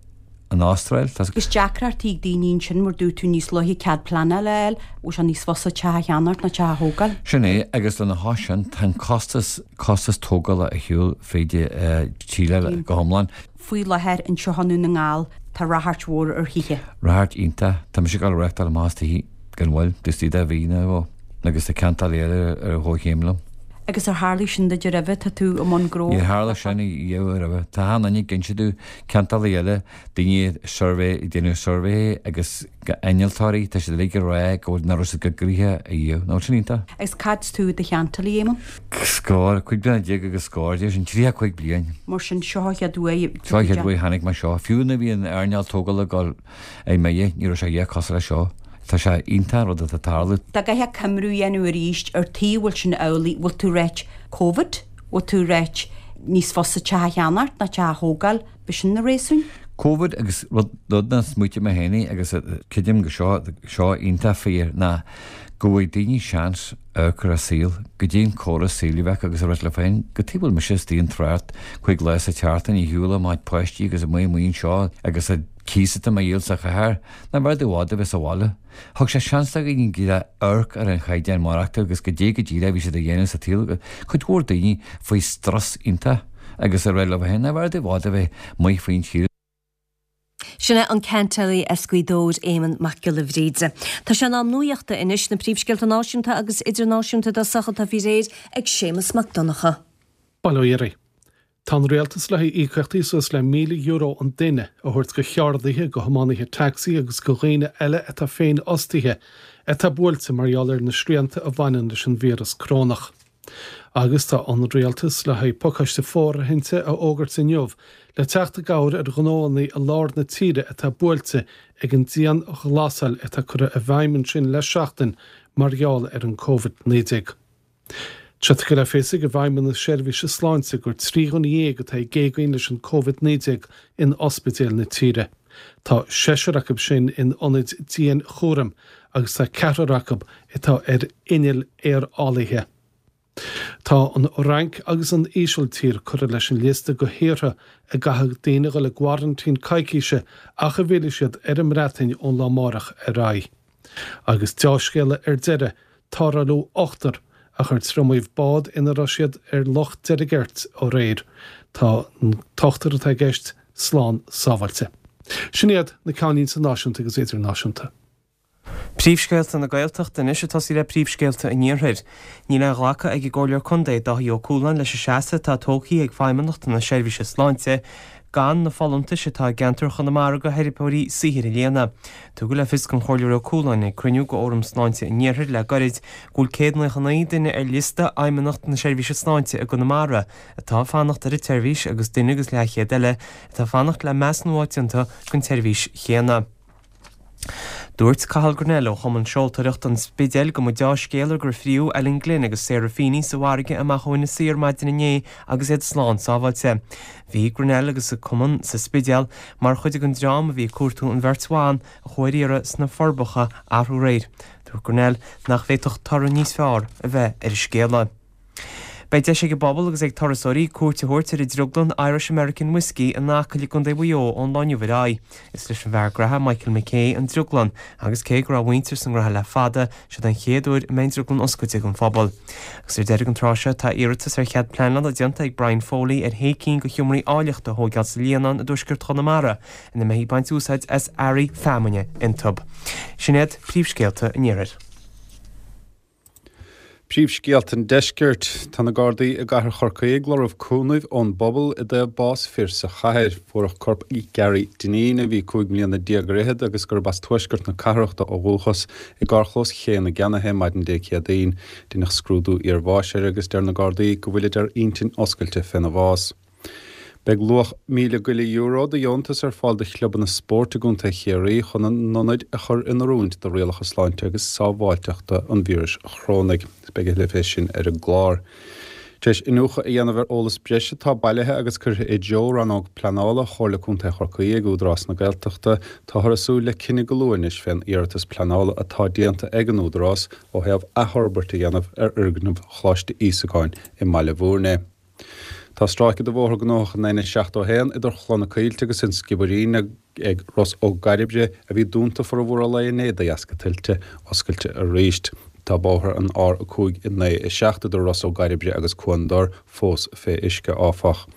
an Astráil, tá. Agus deacrachtaí ag daoine ansin mar dúirt tú níos luaithe cead pleanála a fháil, bhfuil sé níos fusa teach a cheannacht ná teach a thógáil? Sin é, agus lena chois sin, tá an costas, costas tógála ar shiúl fríd tír eile go hiomlán. Faoi láthair anseo i nDún na nGall tá ráchairt mhór ar thithe. Ráchairt iontach. Tá mise ag dul a reachtáil amach as tithe gan mhoill, taobh istigh de mhí nó dhó, agus tá ceantálaí eile ar a chomhchéim liom. Agus ar tharlaigh sin duit roimhe? Tá tú i mbun gnó. Níor tharla sin riamh roimhe. Tá achan duine ag inse domh, ceantálaí eile, daoine suirbhé, ag déanamh suirbhé agus innealtóirí, tá siad uilig ag rá go bhfuil, nach raibh siad chomh gnoitheach ariamh. Nach bhfuil sin iontach? Agus cad is tú i do cheantálaí, Éamonn? Scór, 15 bliana agus scór, deir sin, 35 bliain. Mar sin, seo an chéad uair. Seo an chéad uair a chonaic mé seo. Fiú nuair a bhí an earnáil tógála ag dul ar mire, ní raibh sé a dhath cosúil leis seo. Tá sé iontach an rud atá ag tarlú. Dá gcaithfeá coimriú a dhéanamh arís ar tuige a bhfuil sin amhlaidh, bhfuil tú ag ráit Covid, bhfuil tú ag ráit níos fusa teach a cheannacht ná teach a thógáil, b'shin na réasúin? Covid agus rud rud nár smaoitigh mé féin agus creidim go seo seo iontach fíor ná go bhfaighidh daoine seans amharc ar a saol, goidé an córas saoil a bheadh agus a rá leo féin, cad chuige a bhfuil mise istigh an trácht 5 lá sa tseachtain ar shiúl le mo chuid páistí agus amuigh amuigh anseo agus an cíos atá mé a dhíol sa chathair, nach mb'fhearr domh i bhfad a bheith sa bhaile. Thug sé seans do dhaoine go amharc ar an chaighdeán maireachtála agus goidé go díreach a bhí siad a dhéanamh sa tsaol. Cuid mhór daoine faoi strus iontach agus a rá leo féin, nach mb'fhearr domh i bhfad a bheith amuigh faoin tír. Sin é an ceantálaí as Gaoth Dobhair, Éamonn Mac Giolla Bhríde. Tá sé in am nuachta anois, na príomhscéalta náisiúnta agus idirnáisiúnta i dtosach atá faoi réir ag Séamus Mac Donncha. Bail ó Dhia oraibh. Tá an Rialtas le haghaidh íocaíochtaí suas le €1,000 an duine a thabhairt go cheardaithe, go thiománaithe tacsaí agus go dhaoine eile atá féinfhostaithe atá buailte mar gheall ar na srianta a bhaineann leis an víreas corónach. Agus tá an Rialtas le haghaidh pacáiste fóirithinte a fhógairt inniu le teacht i gcabhair ar ghnóanna i lár na tíre atá buailte ag an dianghlasáil atá curtha i bhfeidhm ansin le seachtain mar gheall ar an Covid-19. Tá sé tugtha le fios ag an bhFeidhmeannas Seirbhíse Sláinte gur 13 dhuine atá ag géagaoin leis an Covid-19 in ospidéil na tíre. Tá seisear acu sin in ionaid dianchúraim agus tá ceathrar acu atá ar innill aerálaithe. Tá an Fhrainc agus an Ísiltír curtha leis an liosta de thíortha a gcaithfidh daoine a dhul i gcoraintín coicíse ach a bhfillfidh siad ar an mBreatain ón lá amárach ar aghaidh. Agus deá-scéala ar deireadh, tarrtháladh ochtar a chuir triomaíodh bád ina raibh siad ar Loch Deirgeirt aréir. Tá an t-ochtar atá i gceist slán sábháilte. Sin iad na ceannlínte náisiúnta agus idirnáisiúnta. Príomhscéalta na Gaeltachta anois ag tosaí le príomhscéalta an Iarthair. Níl aon ghlacadh ag an gComhairleoir Contae, Dáithí Ó Cualáin leis an seasamh atá tógtha ag Feidhmeannacht na Seirbhíse Sláinte gan na folúntais atá i gceantar Chonamara do theiripeoirí saothair a líonadh. Tugadh le fios don Chomhairleoir Ó Cualáin ag cruinniú de Fhóram Sláinte an Iarthair le gairid go bhfuil 199 duine ar liosta Fheidhmeannacht na Seirbhíse Sláinte i gConamara atá ag fanacht ar an tseirbhís agus duine agus leathchéad eile atá ag fanacht le measúnú a fháil déanta don tseirbhís chéanna. Dúirt Cathal Grennell ó Chumann Seoltóireachta an Spidéil go mba deá-scéala gur fríodh Ellen Glynn agus Sarah Feeney sa bhfarraige amach ó Inis Oírr maidin inné agus iad slán sábháilte. Bhí Grennell agus a cumann sa Spidéal mar chuid den dream a bhí ag cuartú an bheirt bhan a chuaigh ar iarraidh sna Forbacha arú aréir. Dúirt Grennell nach bhféadfadh toradh níos fearr a bheith ar an scéala. Beidh deis ag an bpobal agus ag turasóirí cuairt a thabhairt ar an drioglann Irish American Whiskey in Acaill i gContae Mhaigh Eo ón lá inniu ar aghaidh. Is leis an bhfear graithe Michael McKay an drioglann agus cé go raibh a mhuintir sa ngraithe le fada, siod an chéad uair a mbeidh an drioglann oscailte don phobal. Agus ar deireadh an tráth seo tá iarratas ar chead pleanála déanta ag Brian Foley ar shé cinn de sheomraí áilleachta a thóigeáil sa Líonán i dtuaisceart Chonamara ina mbeifí ag baint úsáid as earraí feamainne iontu. Sin iad príomhscéalta an Iarthair. Príomhscéalta an Deiscirt. Tá na Gardaí i gcathair Chorcaí ag lorg cúnaimh ón bpobal i dtaobh bás fir sa chathair. Fuaireadh corp Gary Dineen, a bhí 15 mbliana ar fhichead agus gurb as tuaisceart na cathrach dó ó dhúchas, i gcarrchlós Ché na gCeannaithe maidin Dé Céadaoin. Deineadh scrúdú iarbháis air agus deir na Gardaí go bhfuilid ar intinn oscailte féna bhás. Beidh luach €1,000 go leith de dheontas ar fáil do chlubanna spóirt i gContae Chiarraí chun a n-ionaid a chur in oiriúint do rialacha sláinte agus sábháilteachta an víris chorónaigh. Beidh a thuilleadh fé sin ar an gclár. Tar éis iniúchadh a dhéanamh ar eolas breise atá bailithe agus curtha i dtreo Rannóg Pleanála Chomhairle Contae Chorcaí ag Údarás na Gaeltachta, táthar ag súil le cinneadh go luath anois fén iarratas pleanála atá déanta ag an Údarás ó thaobh athfhorbairt a dhéanamh ar fhoirgneamh Choláiste Íosagáin i mBaile Bhúirne. Tá stráice de bhóthar gnóthach an N71 idir Chloich na Coillte agus an Sciobairín ag Ros Ó gCairbre, a bhí dúnta formhór an lae inné de dheasca tuilte, oscailte arís. Tá bóthar an R5 9 7 idir Ros Ó gCairbre agus Cuan Dor fós fé uisce, áfach.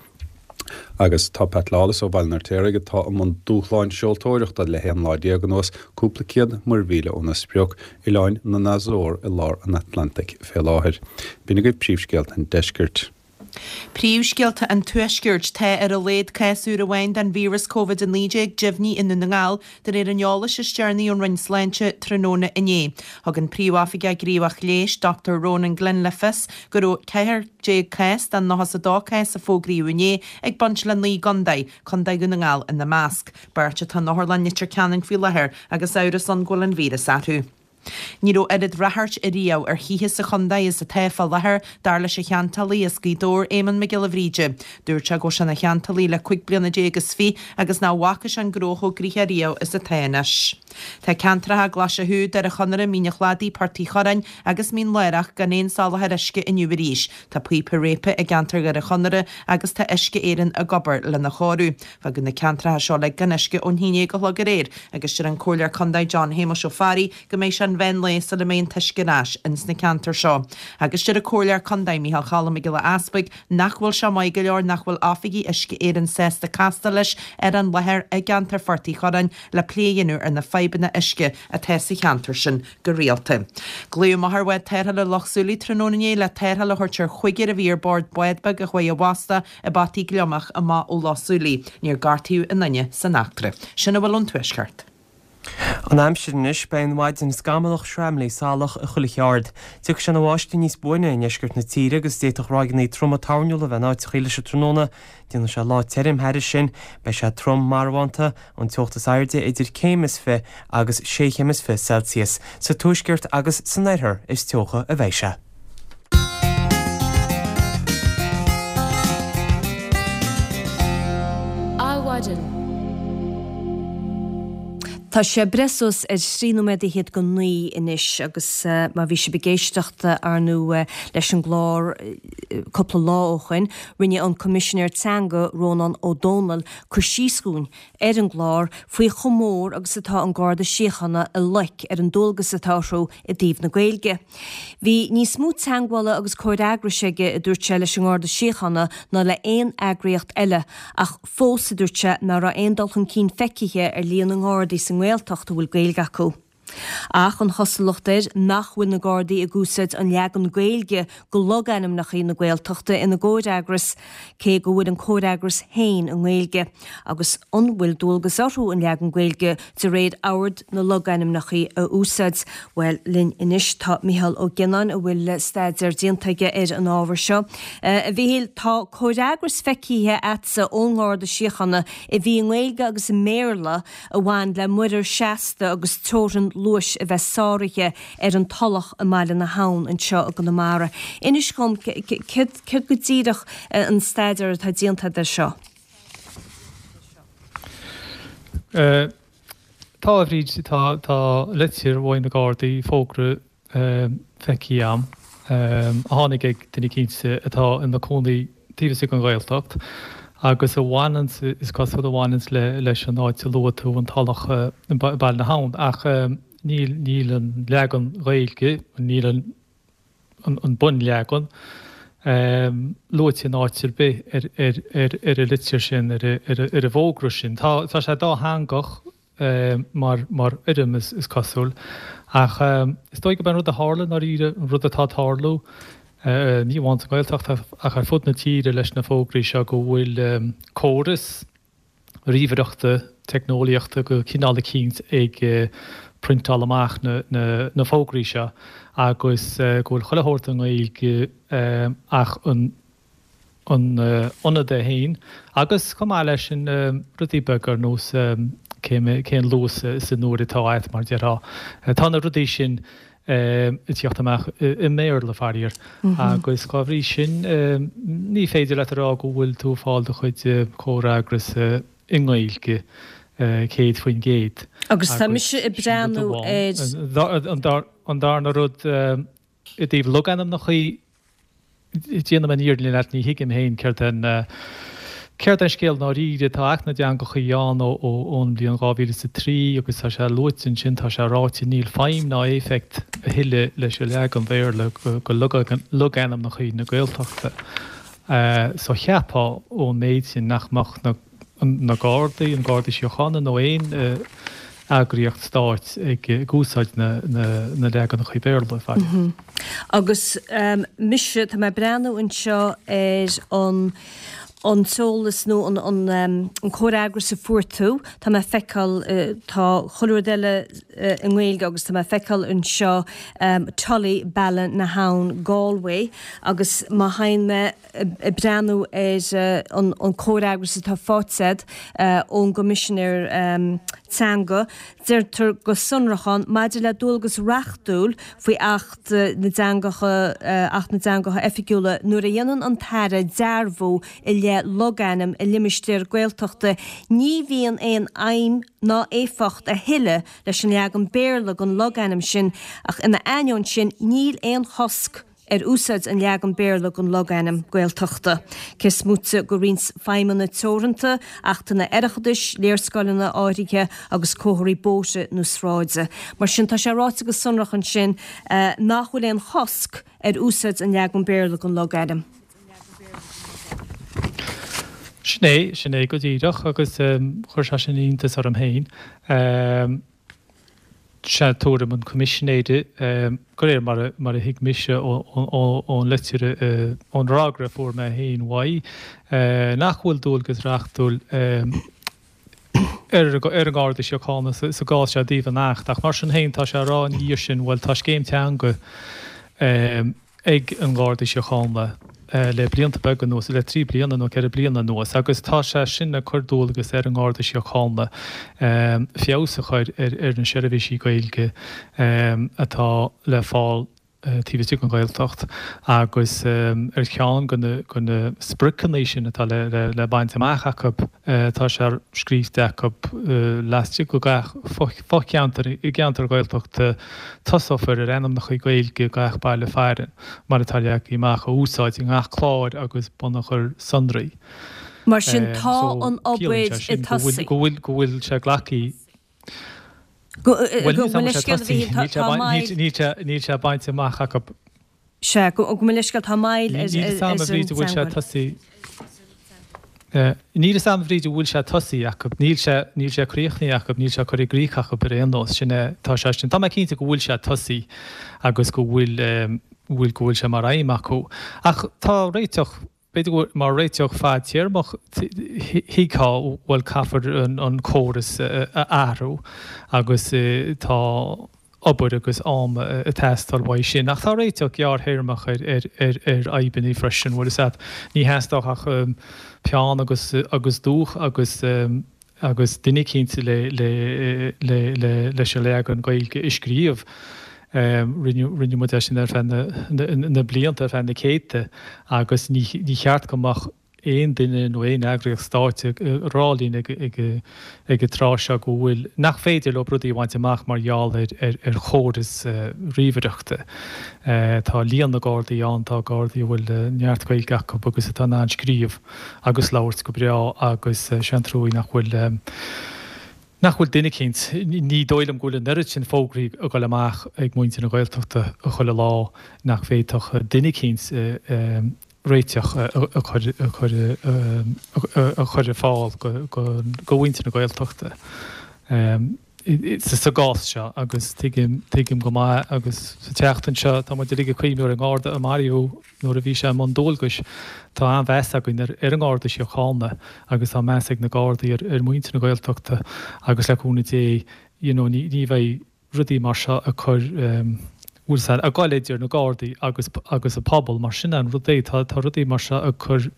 Agus tá Pat Lawless ó Bhaile an Fheirtéaraigh, atá i mbun dúshláin seoltóireachta le 11 lá anuas, cúpla céad muirmhíle óna sprioc, Oileáin na nAzór i lár an Atlantaigh fé láthair. B'in agaibh príomhscéalta an deiscirt. Príomhscéalta an Tuaiscirt, Tá ar a laghad cás úr amháin den víreas Covid-19 deimhnithe i nDún na nGall, de réir an eolais is deireanaí ón Roinn Sláinte tráthnóna inné. Thug an Príomhoifigeach Gníomhach Leighis, Dr Ronan Glynn le fios go raibh 14 cás den 92 cás a fógraíodh inné ag baint le 9 gcontae, Contae Dhún na nGall ina measc. Beirt atá in Otharlann Leitir Ceanainn faoi láthair agus amhras ann go bhfuil an víreas orthu. Ní raibh oiread ráchairt ariamh ar thithe sa chontae is atá fá láthair, dar leis an cheantálaí as Gaoth Dobhair, Éamonn Mac Giolla Bhríde. Dúirt sé go bhfuil sé ina cheantálaí le 15 bliana is fiche agus nach bhfaca sé an gnó chomh gnoitheach riamh is atá anois. Tá ceantracha Glaise Chú, Doire Chonaire, Mín an Chladaigh, Port Uí Churráin agus Mín Lárach gan aon soláthar uisce inniu arís. Tá píopa réabtha i gceantar Dhoire Chonaire agus tá Uisce Éireann ag obair lena chóiriú. Fágadh na ceantracha seo uilig gan uisce ón haon déag a chlog aréir agus deir an Comhairleoir Condae John Shéamuis Ó Fearraigh go mbeidh sé an mheán lae sula mbeidh an t-uisce ar ais ins na ceantair seo. Agus deir an Comhairleoir Condae Micheál Cholm Mac Giolla Easpaig nach bhfuil sé maith go leor nach bhfuil oifigigh Uisce Éireann sásta castáil leis ar an láthair i gceantar Phort Uí Churráin le plé a dhéanamh ar na fadhbanna uisce atá sa cheantar sin go rialta. Glaodh amach ar bhád tarrthála Loch Súilí tráthnóna inné le tarrtháil a thabhairt ar chúigear a bhí ar bord bád beag a chuaigh i bhfostú i bpotaí gliomach amach ó Loch Súilí. Níor gortaíodh aon duine san eachtra. Sin a bhfuil ón Tuaisceart. An aimsir anois, beidh an mhaidin scamallach, sreamhlaí, salach i chuile cheard. Tiocfaidh sé ina bháisteach níos buaine i ndeisceart na tíre agus d'fhéadfadh ráigeanna troma toirniúla a bheith in áiteachaí leis an tráthnóna. Déanfaidh sé lá tirim thairis sin. Beidh sé trom marbhánta, an teocht is airde idir céim is fi agus sé chéim is fi Celsius. Sa tuaisceart agus san oirthear is teocha a bheidh sé. Adhmhaidin. Tá sé breith suas ar thrí nóiméad fhichead go naoi anois agus má bhí sibh ag éisteacht ar ndóigh leis an gclár cúpla lá ó shoin, rinne an Coimisinéir Teanga Rónán Ó Domhnaill cur síos dhúinn ar an gclár faoi chomh mór agus atá an Garda Síochána i loic ar an dualgas atá orthu i dtaobh na Gaeilge. Bhí níos mó teagmhála agus comhfhreagrais aige, a dúirt sé, leis an nGarda Síochána ná le haon eagraíocht eile, ach fós, a dúirt sé, ná raibh aon dul chun cinn feicthe ar líon na nGardaí sa nGaeltacht a bhfuil Gaeilge acu. Ach an chosúlacht air nach bhfuil na Gardaí ag úsáid an leagan Gaeilge de logainmneacha na Gaeltachta ina gcomhfhreagras, cé go bhfuil an comhfhreagras féin i nGaeilge, agus an bhfuil dualgas orthu an leagan Gaeilge de réir Ord na Logainmneacha a úsáid? Bhuel, linn anois tá Micheál Ó Gionnáin a bhfuil staidéar déanta aige ar an ábhar seo. A Mhichíl, tá comhfhreagras feicthe a'dsa ón nGarda Síochána a bhí i nGaeilge agus i mBéarla a bhain le muirear seasta agus teorainn luais a bheith sáraithe ar an Tulach i mBaile na hAbhann anseo i gConamara. Inis dhom céard go díreach an staidéar atá déanta agat air seo? Tá, a Bhríd, tá, tá litir uaidh na Gardaí, fógra feicthe a'm, a tháinig ag duine eicínt atá ina cónaí taobh istigh den Ghaeltacht agus a bhaineanns, is cosúil, a bhaineanns leis an áit a luaigh tú, an Tulach i Baile na hAbhann. Ach níl, níl an leagan Gaeilge, níl an, an bunleagan luaite in áit ar bith ar ar an litir sin, ar an bhfógra sin. Tá sé dátheangach mar mar fhoirm is cosúil ach is dóigh gurb é an rud a tharla i ndáiríre, an rud atá ag tarlú, ní amháin sa nGaeltacht ach ar fud na tíre leis na fógraí seo go bhfuil córas, ríomhaireachta, teicneolaíochta de chineál eicínt ag priontáil amach na fógraí seo agus go bhfuil chuile shórt i nGaeilge ach an. an ionad é féin agus chomh maith leis sin rudaí beaga ar nós cén luas is an uair atá agat mar déarfá. Tá na rudaí sin ag tíocht amach i mBéarla faraor agus dhá bhrí sin ní féidir leat a rá go bhfuil tú ag fáil do chuid comhfhreagras i nGaeilge 100%. Agus tá mise ag breathnú ar. An darna rud i dtaobh logainmneachaí, Déanfaidh mé an fhírinne leat, ní thuigim féin céard é an céard é an scéal i ndáiríre. Tá Acht na dTeangachaí ann ó ón mbliain 2003 agus tá sé luaite ansin, tá sé ráite, níl feidhm ná éifeacht a thuilleadh leis an leagan Bhéarla go logainmneachaí na Gaeltachta. So cheapfá ón méid sin nach mbeadh na na Gardaí, an Garda Síochána nó aon eagraíocht stáit ag úsáid na leaganacha Béarla, faraor. Agus mise, tá mé ag breathnú anseo ar an an t-eolas nó an comhfhreagras a fuair tú, tá mé ag feiceáil, tá chuile rud eile i nGaeilge agus tá mé ag feiceáil anseo Tully, Ballinahown, Galway agus má théann mé ag breathnú ar an comhfhreagras atá faighte agat ón gCoimisinéir Teanga, deirtear go sonrach ann, maidir le dualgas reachtúil faoi Acht na dTeangacha, Acht na dTeangacha Oifigiúla, nuair a dhéanann an tAire dearbhú i leith logainm i limistéar Gaeltachta, ní bhíonn aon fheidhm ná éifeacht a thuilleadh leis an leagan Béarla den logainm sin ach ina ainneoin sin níl aon chosc ar úsáid an leagan Béarla den logainm Gaeltachta, cé is moite de roinnt feidhmeanna teoranta, achtanna oireachtais, léarscáileanna áirithe agus comharthaí bóithre nó sráide. Mar sin, tá sé ráite go sonrach ansin nach bhfuil aon chosc ar úsáid an leagan Béarla den logainm. Sin é, sin é go díreach, agus chuir sé sin iontas orm féin. Sea, tuairim an Choimisinéara, de réir mar a thuig mise ón litir, ón fhreagra a fuair mé féin uaidh, nach bhfuil dualgas reachtúil ar an nGarda Síochána sa gcás seo i dtaobh an Acht. Ach mar sin féin, tá sé á rá ina dhiaidh sin, bhuel, tá scéim teanga ag an nGarda Síochána le blianta beaga anuas, le 3 bliana nó 4 bliana anuas, agus tá sé sin ag cur dualgas ar an nGarda Síochána feabhas a chur ar na seirbhísí Gaeilge atá le fáil taobh istigh den Ghaeltacht agus ar cheann de na spriocanna sin atá le baint amach acu, Tá sé scríte acu laistigh de gach fo-cheantar i gceantar Gaeltachta tosófar ar ainmneacha Gaeilge gach baile fearainn, mar atá leagtha amach, a úsáid i ngach clár agus bunachar sonraí. Mar sin tá an obair ag tosaí. Go bhfuil sé glactha. Bhuel níl sé tosaithe, níl sé bainte amach acu. Sea, gabh mo leithscéal, tá moill ar an Níl 'fhios a'm a Bhríd an bhfuil sé tosaithe. Níl 'fhios a'm a Bhríd an bhfuil sé tosaithe acu. Níl sé, níl sé críochnaithe acu, níl sé curtha i gcrích acu ar aon nós. Sin é, tá sé sin. Tá mé cinnte go bhfuil sé tosaithe agus go bhfuil, bhfuil, go bhfuil sé mar aidhm acu. Ach tá réiteach, b'fhéidir go bhfuil, mar réiteach fadtéarmach, thuigfeá, bhuel caithfear an córas a athrú agus tá, obair agus am ag teastáil uaidh sin. Ach tá réiteach gearrthéarmach ar fhadhbanna freisin, bhfuil 'fhios a'd. Ní theastódh ach peann agus agus dúch agus agus duine eicínt le le le le leis an leagan Gaeilge a scríobh. Rinne rinne muid é sin ar feadh na na blianta, ar feadh na céadta agus ní ní cheart go mbeadh aon duine nó aon eagraíocht stáit ag rá linn ag an tráth seo go bhfuil, nach féidir leo rudaí a bhaint amach mar gheall ar chóras ríomhaireachta. Tá líon na Gardaí ann, tá Gardaí a bhfuil neart Gaeilge acu agus atá in ann scríobh agus labhairt go breá agus sé an truaí nach bhfuil, nach bhfuil duine eicínt, ní dóigh liom go bhfuil an oiread sin fógraí ag dul amach ag muintir na Gaeltachta chuile lá nach bhféadfadh duine eicínt réiteach a chur ar fáil do mhuintir na Gaeltachta sa gcás seo agus tuigim, tuigim go maith agus sa tseachtain seo tá muid uilig ag cuimhniú ar an nGarda a maraíodh nuair a bhí sé i mbun dualgais. Tá an-mheas againn ar an nGarda Síochána agus tá meas ag na Gardaí ar mhuintir na Gaeltachta agus le cúnamh Dé you know ní bheidh rudaí mar seo ag cur, bhfuil 's a'd, ag goil idir na Gardaí agus agus an pobal, mar sin an rud é, tá tá rudaí mar seo ag cur.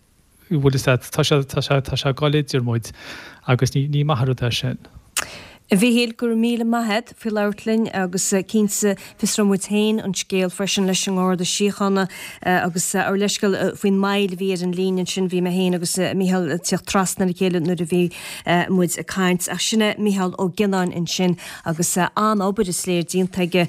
Bhfuil fhios agat, tá sé, tá sé, tá sé ag goil idir muid agus ní, ní maith an rud é sin. A Mhíchíl, go raibh míle maith a't faoi labhairt linn agus cinnte fiosróidh muid féin an scéal freisin leis an nGarda Síochána agus ár leithscéal faoin moill a bhí ar an líne ansin, bhí mé féin agus Mícheál ag tíocht trasna ar a chéile nuair a bhí muid ag caint ach sin é Mícheál Ó Gionnáin ansin agus an-obair is léir déanta aige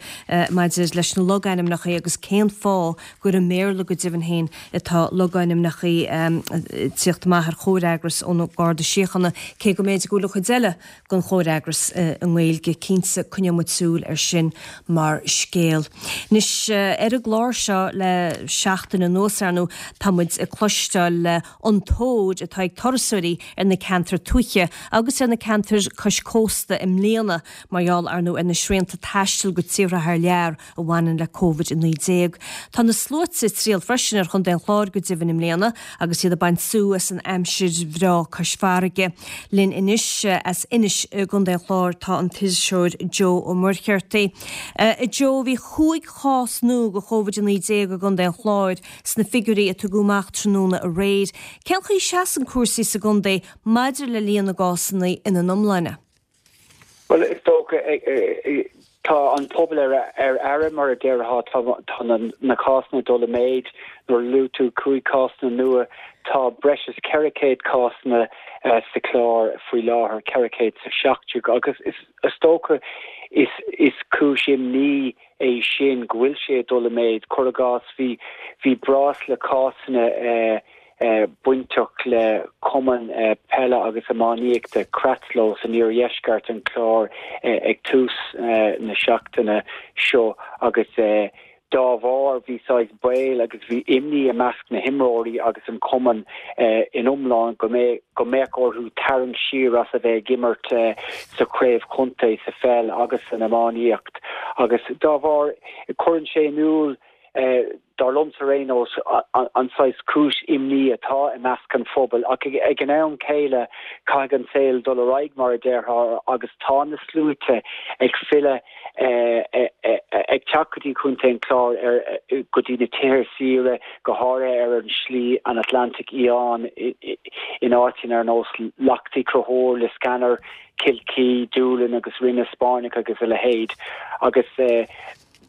maidir leis na logainmneacha agus cén fáth gur i mBéarla go deimhin féin atá logainmneacha ag tíocht amach ar chomhfhreagras ón Garda Síochána, cé go mb'fhéidir go bhfuil an chuid eile den chomhfhreagras i nGaeilge. Cinnte, coinneoidh muid súil air sin mar scéal. Anois, ar an gclár seo le seachtain anuas, ar ndóigh, tá muid ag cloisteáil an tóir atá ag turasóirí ar na ceantair tuaithe agus ar na ceantair cois cósta i mbliana mar gheall, ar ndóigh, ar na srianta taistil go tíortha thar lear a bhaineann le Covid-19. Tá na sluaite ag triall freisin ar Chontae an Chláir go deimhin i mbliana agus iad ag baint sú as an aimsir bhreá cois farraige. Linn anois as Inis i gContae an Chláir tá an t-iriseoir Joe Ó Muircheartaigh. A Joe, bhí chúig chás nua de Covid-19 i gContae an Chláir sna figiúirí a tugadh amach tráthnóna aréir. Cén chaoi a seasann cúrsaí sa gcontae maidir le líon na gcásanna ina n-iomláine? Bhuel, is dócha, tá an pobal ar aire, mar a déarfá, tá na cásanna ag dul i méid. Nuair a luaigh tú 5 cásanna nua, tá breis is 400 cásanna sa Chlár faoi láthair, 417, agus is dócha is cúis imní é sin go bhfuil sé ag dul i méid. Cuir i gcás, bhí braisle cásanna bainteach le cumann peile agus iománaíochta Cratloe san iardheisceart an Chláir ag tús na seachtaine seo agus dá bharr bhí saghas baol agus bhí imní i measc na himreoirí agus an cumann in iomlán go go mbeadh orthu tarraingt siar as a bheith ag imirt sa chraobh chontae sa pheil agus san iománaíocht agus dá bharr cuireann sé in iúl dar liomsa ar aon nós, an saghas cúis imní atá i measc an phobail. Ach ag an am céile, caithfidh an saol dul ar aghaidh, mar a déarfá, agus tá na sluaite ag filleadh, ag teacht go dtí Contae an Chláir, go dtí na tithe saoire, go háirithe ar an Slí an Atlantaigh Fhiáin, in áiteanna ar nós Leacht Uí Chonchúir, Liscannor, Kilkee, Doolin agus Rinn na Spáinneach agus a leithéid. Agus.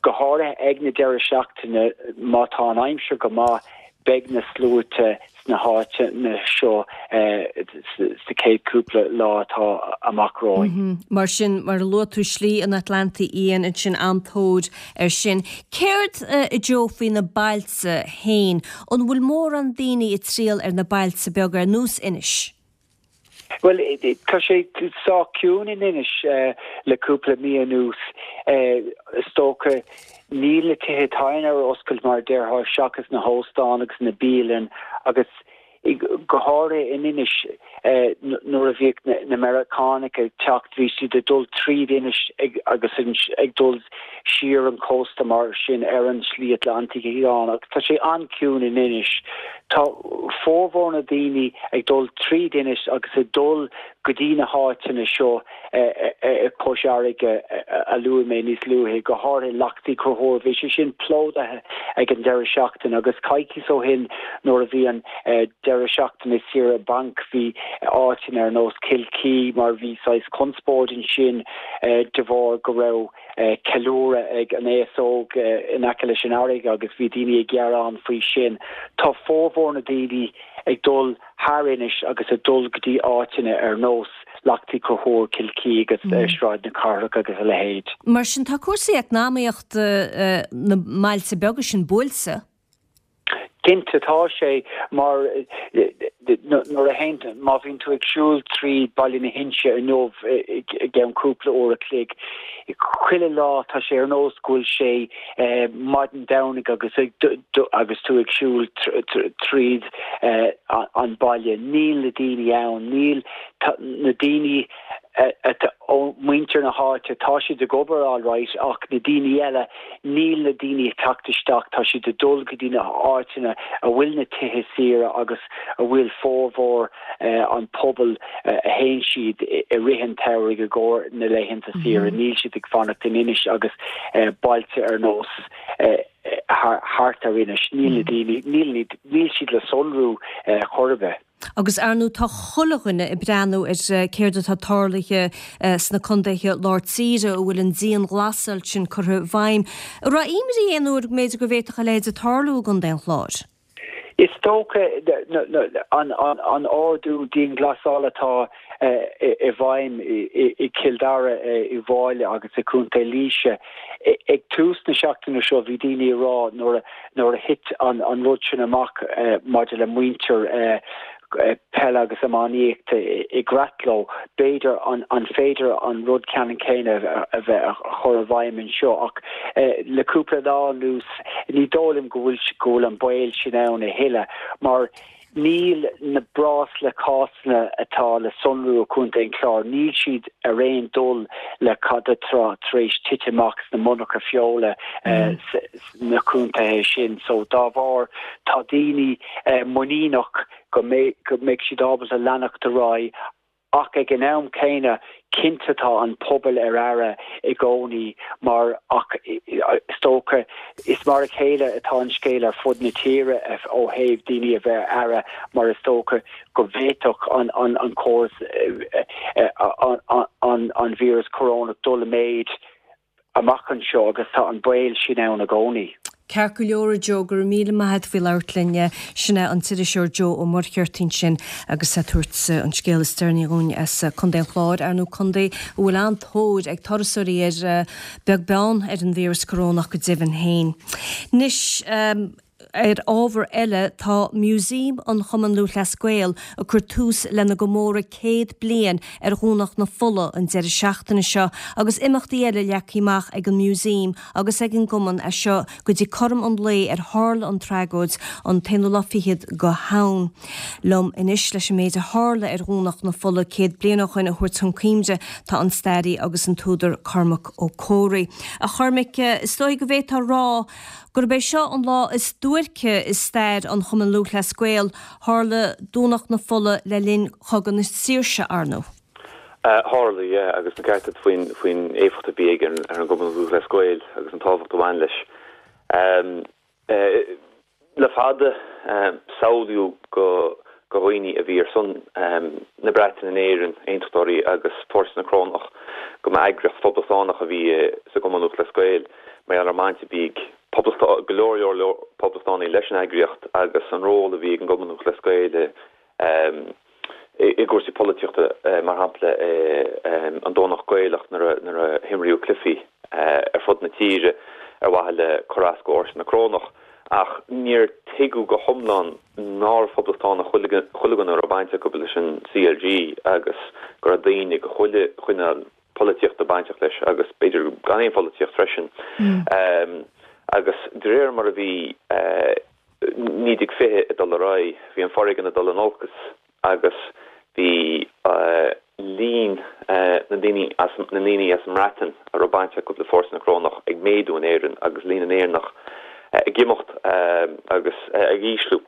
Go háirithe ag na deireadh seachtaine, má tá an aimsir go maith, beidh na sluaite sna háiteanna seo sa chéad chúpla lá atá amach romhainn. Mar sin, mar a luaigh tú, Slí an Atlantaigh Fhiáin ansin, an-tóir air sin. Céard, a Joe, faoi na bailte féin? An bhfuil mórán daoine ag triall ar na bailte beaga ar nós Inis? Bhuel, tá sé sách ciúin in Inis le cúpla mí anuas. Is dócha, níl na tithe tábhairne ar oscailt mar a déarfá seachas na hóstáin agus na bialanna agus go háirithe in Inis nuair a bhíodh na Meiriceánaigh ag teacht bhí siad ag dul tríd Inis agus ag dul siar an cósta mar sin ar an Slí Atlantaigh Fhiáin agus tá sé an-chiúin in Inis. Tá formhór na daoine ag dul tríd Inis agus ag dul go dtí na háiteanna seo cois fharraige a luaigh mé níos luaithe, go háirithe Leacht Uí Chonchúir. Bhí sé sin plódaithe ag an deireadh seachtaine agus coicíos ó shin nuair a bhí an deireadh seachtaine saoire bainc bhí áiteanna ar nós Kilkee mar bhí saghas conspóid ansin de bharr go raibh ceiliúradh ag an aos óg in aice leis an fharraige agus bhí daoine ag gearán faoi sin. Tá formhór na daoine ag dul thar Inis agus ag dul go dtí áiteanna ar nós Leacht Uí Chonchúir, Kilkee agus Sráid na Cathrach agus a leithéid. Mar sin tá cúrsaí eacnamaíochta na mbailte beaga sin buailte. Cinnte tá sé, mar nuair a théann, má bhíonn tú ag siúl tríd Baile na hInse inniu i gceann cúpla uair a chloig, chuile lá tá sé ar nós go bhfuil sé maidin Domhnaigh agus agus tú ag siúl tríd an baile. Níl na daoine ann, níl na daoine ó muintir na háite, tá siad ag obair alright ach na daoine eile, níl na daoine ag teacht isteach, tá siad ag dul go dtí na háiteanna a bhfuil na tithe saoire agus a bhfuil formhór an pobal a théann siad i rith an tsamhraidh i gcomhair na laethanta saoire, níl siad ag fanacht in Inis agus bailte ar nós. Thart ar Inis, níl na daoine, níl, níl siad le sonrú chor ar bith. Agus ar ndóigh tá chuile dhuine ag breathnú ar céard atá tarlaithe sna contaetha lár tíre a bhfuil an dianghlasáil sin curtha i bhfeidhm. An raibh imní aon uair go mb'fhéidir go bhféadfadh a leithéid tarlú i gContae an Chláir? Is dócha an ordú dianghlasála atá i bhfeidhm i gCill Dara, i bhFáile agus i gContae Laoise. Ag tús na seachtaine seo bhí daoine ag rá nuair a thit an rud sin amach maidir le muintir peile agus iománaíochta i gCratló. B'fhéidir an féidir an rud ceannann céanna a bheith a chur i bhfeidhm anseo ach le cúpla lá anuas ní dóigh liom go bhfuil go bhfuil an baol sin ann a thuilleadh mar níl na breosla cásanna atá le sonrú i gContae an Chláir, níl siad ar aon dul le cad atá tar éis titim amach sna monarcha feola sna contaetha sin. So dá bharr tá daoine muiníneach go mbeidh siad ábalta leanacht ar aghaidh ach ag an am céanna cinnte tá an pobal ar aire i gcónaí mar ach is dócha is mar a chéile atá an scéal ar fud na tíre ó thaobh daoine a bheith ar aire mar is dócha go bhféadfadh an córas an víreas corónach dul i méid amach anseo agus tá an baol sin ann i gcónaí. Ceart go leor a Joe, go raibh míle maith agat faoi labhairt linn. Sin é an t-iriseoir Joe Ó Muircheartaigh ansin agus é ag tabhairt an scéal is deireanaí dhúinn as Contae an Chláir, ar ndóigh contae a bhfuil an-tóir ag turasóirí air, beag beann ar an víreas corónach go deimhin féin. Anois. Ar ábhar eile, tá Museum an Chumann Lúthchleas Gael ag cur tús lena gcomóradh 100 bliain ar Dhomhnach na Fola an deireadh seachtaine seo agus imeachtaí eile leagtha amach ag an Museum agus ag an gCumann as seo go dtí cothrom an lae ar tharla an tragóid, an t-aonú lá fichead de Shamhain. Liom anois leis an méid a tharla ar Dhomhnach na Fola 100 bliain ó shoin a thabhairt chun cuimhne tá an staraí agus an t-údar Cormac Ó Comhraí. A Chormaic, is dóigh go bhféadfá a rá Gurb é seo an lá is duairce i stair an Chumainn Lúthchleas Gael, tharla Domhnach na Fola le linn Chogadh na Saoirse, ar ndóigh. Tharla, yeah, agus an ceart agat faoin, faoin éifeacht a bhí aige ar an gCumann Lúthchleas Gael agus an tábhacht a bhain leis. Le fada, samhlaíodh go do dhaoine a bhí ar son na Breataine in Éirinn, Aontachtóirí agus Fórsa na Corónach, go mba eagraíocht phoblachtánach a bhí sa gCumann Lúthchleas Gael mar gheall ar an mbaint a bhí ag go leor leor leor poblachtánaigh leis an eagraíocht agus an ról a bhí ag an gCumann Lúthchleas Gael i i gcúrsaí polaitíochta, mar shampla an Domhnach Gaelach nuair a himríodh cluichí ar fud na tíre ar mhaithe le cur as do Fhórsa na Corónach. Ach níor tuigeadh go hiomlán nárbh phoblachtánach chuile dhuine a raibh baint acu leis an CLG agus go raibh daoine de chuile chineál polaitíochta bainteach leis agus b'fhéidir gan aon pholaitíocht freisin. Agus de réir mar a bhí 1920 ag dul ar aghaidh, bhí an foréigean ag dul in olcas agus bhí líon na ndaoine as na ndaoine as an mBreatain a raibh baint acu le Fórsa na Corónach ag méadú in Éirinn agus líon na nÉireannach ag imeacht agus ag ísliú.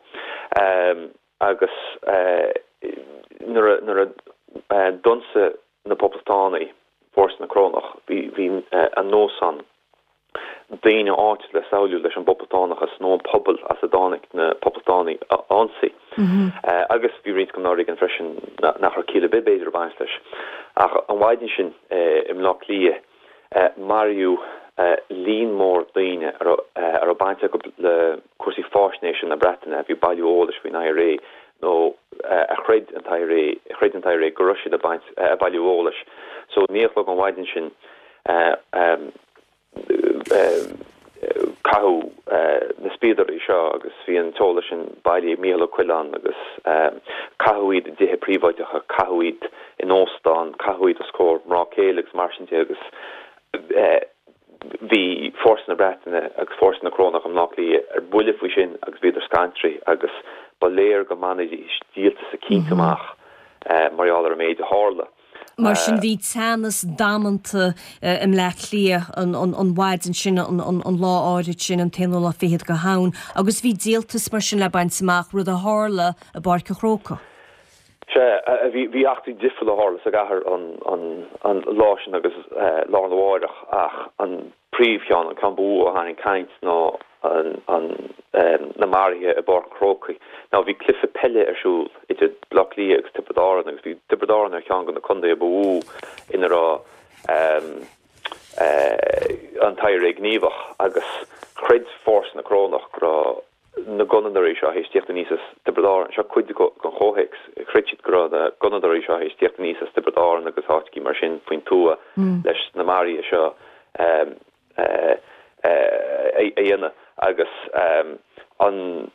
Agus nuair a nuair a d'ionsaigh na Poblachtánaigh Fórsa na Corónach, bhí bhí an nós ann daoine áitiúla a samhlaíodh leis an bpoblachtánachas nó an pobal as a dtáinig na poblachtánaigh a ionsaí. Agus bhí roinnt den fhoréigean freisin nach raibh ciall ar bith b'fhéidir ag baint leis. Ach an mhaidin sin i mBleá Cliath maraíodh líon mór daoine a raibh baint acu le cúrsaí faisnéise na Breataine, a bhí ag bailiú eolais faoin IRA nó a chreid an t-IRA, a chreid an t-IRA go raibh siad ag baint, ag bailiú eolais. So 9 a chlog an mhaidin sin caitheadh na spíodairí seo agus bhí an t-eolas sin bailithe ag Mícheál Ó Coileáin agus caitheadh iad i dtithe príobháideacha, caitheadh iad in óstán, caitheadh iad os comhair mná céile agus mar sin de agus bhí fórsa na Breataine agus fórsa na Corónach i mBleá Cliath ar buile faoi sin agus bhíodar scanraithe agus ba léir go mbainfidís díoltas eicínt amach mar gheall ar an méid a tharla. Mar sin bhí teannas damanta i mBleá Cliath an mhaidin sin, an lá áirid sin, an t-aonú lá fichead de Shamhain, agus bhí díoltas mar sin le baint amach, rud a tharla i bPáirc an Chrócaigh. Sea, bhí eachtraí difriúla a tharla sa gcathair an lá sin agus lá arna mháireach ach an príomhcheann, an ceann ba mhó a tharraing caint ná. Na maruithe i bPáirc an Chrócaigh. Now bhí cluiche peile ar siúl idir Baile Átha Cliath agus Tiobraid Árann agus bhí Tiobraid Árann ar cheann de na contaetha ba mhó ina raibh an t-IRA gníomhach agus chreid fórsa na Corónach go raibh na gunnadóirí seo théis tíocht aníos as Tiobraid Árann, seo cuid den chomhthéacs, chreid siad go raibh na gunnadóirí seo théis tíocht aníos as Tiobraid Árann agus áiteachaí mar sin faoin tuath leis na maruithe seo a dhéanamh agus an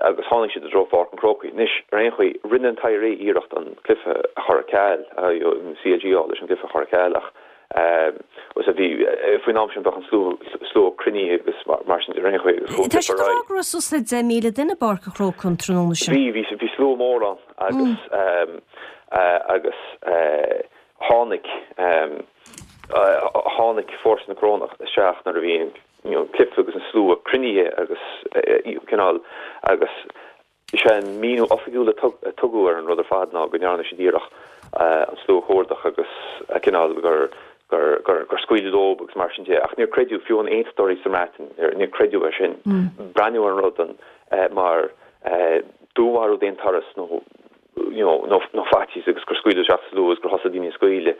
agus tháinig siad i dtreo Pháirc an Chrócaigh. Anois, ar aon chaoi, rinne an t-IRA iarracht an cluiche a chur ar ceal, an CLG a fháil leis an gcluiche a chur ar ceal ach bhí, faoin am sin bheadh an slua cruinnithe agus mar sin de ar aon chaoi agus chuaigh an Tá cluiche siad ar ag rá aghaidh. go raibh suas le 10,000 duine i bPáirc an Chrócaigh an tráthnóna sin. Bhí, bhí, bhí slua mór ann agus agus tháinig Tháinig fórsa na Corónach isteach nuair a bhí an cluiche agus an slua cruinnithe agus cineál agus is é an míniú oifigiúil a tugadh ar an rud ar fad ná go ndearna siad iarracht an slua a chuardach agus cineál gur gur scaoileadh leo agus mar sin de. Ach níor creideadh, fiú an aontachtóirí sa mBreatain, níor creideadh é sin. Breathnaíodh ar an rud mar dúnmharú d'aon turas nó you know, nó, nó faitíos agus gur scaoileadh isteach sa slua agus gur thosaigh daoine ag scaoileadh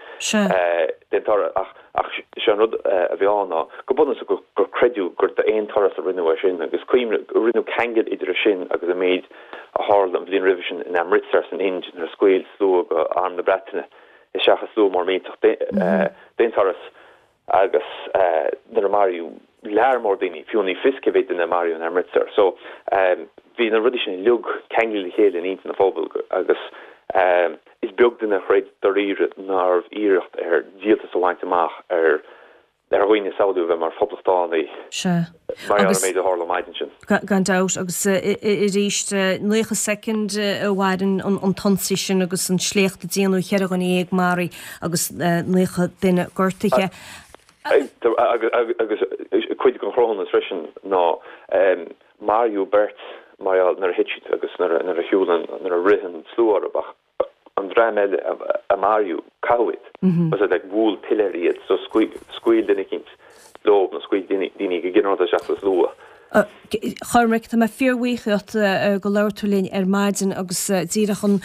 d'aon turas ach, ach sé an rud a bhí ann ná go bunúsach gur, gur creideadh gur d'aon turas a rinneadh é sin agus cuimhnigh, rinneadh ceangal idir é sin agus an méid a tharla an bhliain roimhe sin in Amritsar san Ind nuair a scaoil slua de Arm na Breataine isteach i slua mór millteach d'aon turas. agus nuair a maraíodh lear mór daoine, fiú ní fios cé mhéad duine a maraíodh in Amritsar. So, bhí na rudaí sin uilig ceangailte le chéile in intinn an phobail agus is beag duine a chreid dáiríre nárbh iarracht ar díoltas a bhaint amach ar ar dhaoine a samhlaíodh a bheith mar phoblachtánaigh Sea. mar gheall ar an Agus. méid a tharla an mhaidin sin. Gan dabht, agus arís, 90 soicind a mhaireann an t-ionsaí sin agus an sléacht a déanadh, 14 dhuine maraithe agus 90 duine gortaithe. Agus cuid den chruthúnas freisin ná maraíodh beirt mar gheall nuair a thit siad agus nuair a shiúil an, nuair a rith an slua orthu ach an dream eile a maraíodh, caitheadh iad. Was it like bhuail piléar iad so scaoil duine eicínt leo nó scaoil daoine go ginearálta isteach sa slua. A Chormaic, tá mé fíorbhuíoch díot gur labhair tú linn ar maidin agus díreach an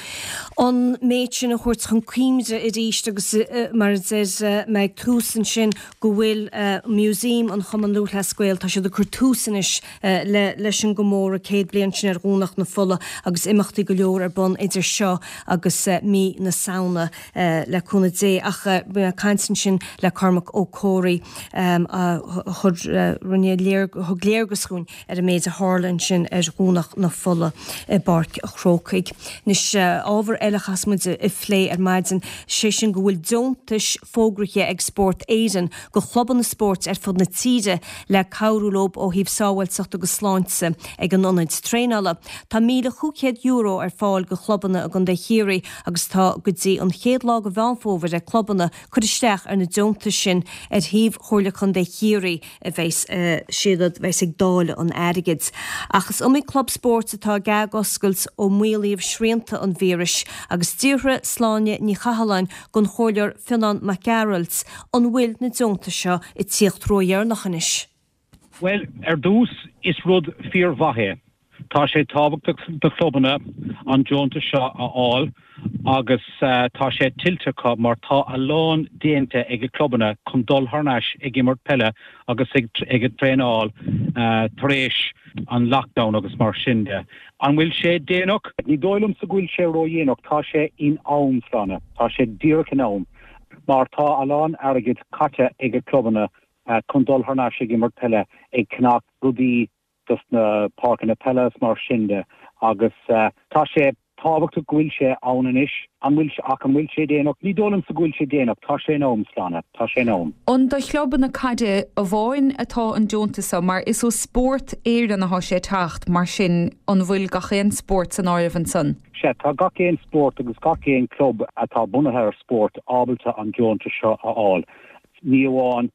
an méid sin a thabhairt chun cuimhne arís agus mar a deir mé ag tús ansin go bhfuil Museum an Chumann Lúthchleas Gael, tá siad ag cur tús anois le leis an gcomóradh 100 bliain sin ar Dhomhnach na Fola agus imeachtaí go leor ar bun idir seo agus mí na Samhna le cúnamh Dé. Ach bhí mé ag caint ansin le Cormac Ó Comhraí a chuir, rinne léar, thug léargas dhúinn ar an méid a tharla ansin ar Dhomhnach na Fola i bPáirc a' Chrócaigh. Anois, ábhar eile a chaithfeas muid a phlé ar maidin, sé sin go bhfuil deontais fógraithe ag Spórt Éireann go chlubanna spóirt ar fud na tíre le cabhrú leo ó thaobh sábháilteacht agus sláinte ag an ionaid traenála. Tá €1,500 ar fáil go chlubanna i gContae Chiarraí agus tá go dtí an chéad lá de Mheán Fómhair ag clubanna cur isteach ar na deontais sin ar shuíomh Chomhairle Contae Chiarraí a bheas siad a bheas ag dáileadh an airgid. Ach is iomaí club spóirt atá ag athoscailt ó maolaíodh srianta an víris agus d'fhiafraigh Sláine Ní Chathalláin den Chomhairleoir Fionán Mac Gearailt an bhfuil na deontais seo ag tíocht ródheireanach anois. Bhuel, ar dtús, is rud fíormhaith é. Tá sé tábhachtach do chlubanna an deontas seo a fháil agus tá sé tuillte acu mar tá a lán déanta ag na clubanna chun dul thar n-ais ag imirt peile agus ag traenáil tar éis an lockdown agus mar sin de. An bhfuil sé déanach? Ní dóigh liomsa go bhfuil sé ródhéanach, tá sé in am, Sláine, tá sé díreach in am mar tá a lán airgid caite ag na clubanna chun dul thar n-ais ag imirt peile, ag ceannach rudaí dos na páirceanna peile is mar sin de agus tá sé tábhachtach go bhfuil sé ann anois. An bhfuil, ach an bhfuil sé déanach? Ní dóigh liomsa go bhfuil sé déanach, tá sé in am, Sláine, tá sé in am. An do chlubanna caide amháin atá an deontas seo? Mar is ó Spórt Éireann athá sé ag teacht, mar sin an bhfuil gach aon spórt san áireamh ansan? Sea, tá gach aon spórt agus gach aon club atá bunaithe ar spórt ábalta an deontas seo a fháil. Ní amháin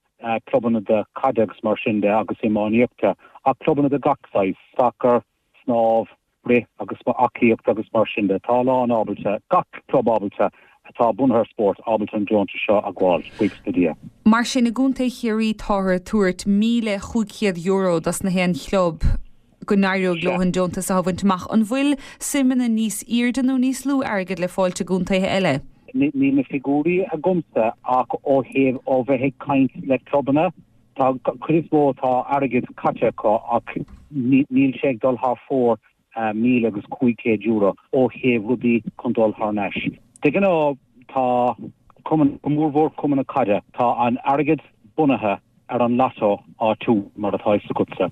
clubanna de caide agus mar sin de agus iománaíochta ach clubanna de gach saghas, sacar, snámh, rith agus aclaíocht agus mar sin de. Tá a lán ábalta, gach club ábalta. atá bunaithe ar spórt ábalta an deontas seo a ghabháil, buíochas le Dia. Mar sin, i gContae Chiarraí táthar ag tabhairt €1,500 dos na haon chlub go n-éireoidh leo an deontas a bhaint amach. An bhfuil suimeanna níos airde nó níos lú airgid le fáilt i gcontaetha eile? Níl na figiúirí agamsa ach ó thaobh ó bheith ag caint le clubanna, tá cuid is mó tá airgead caite acu ach níl sé ag dul thar fóir €1,500 ó thaobh rudaí chun dul thar n-ais. De ghnáth tá cumann, go mórmhór cumann na caide, tá an airgead bunaithe ar an lotto áitiúil mar atá fhios agatsa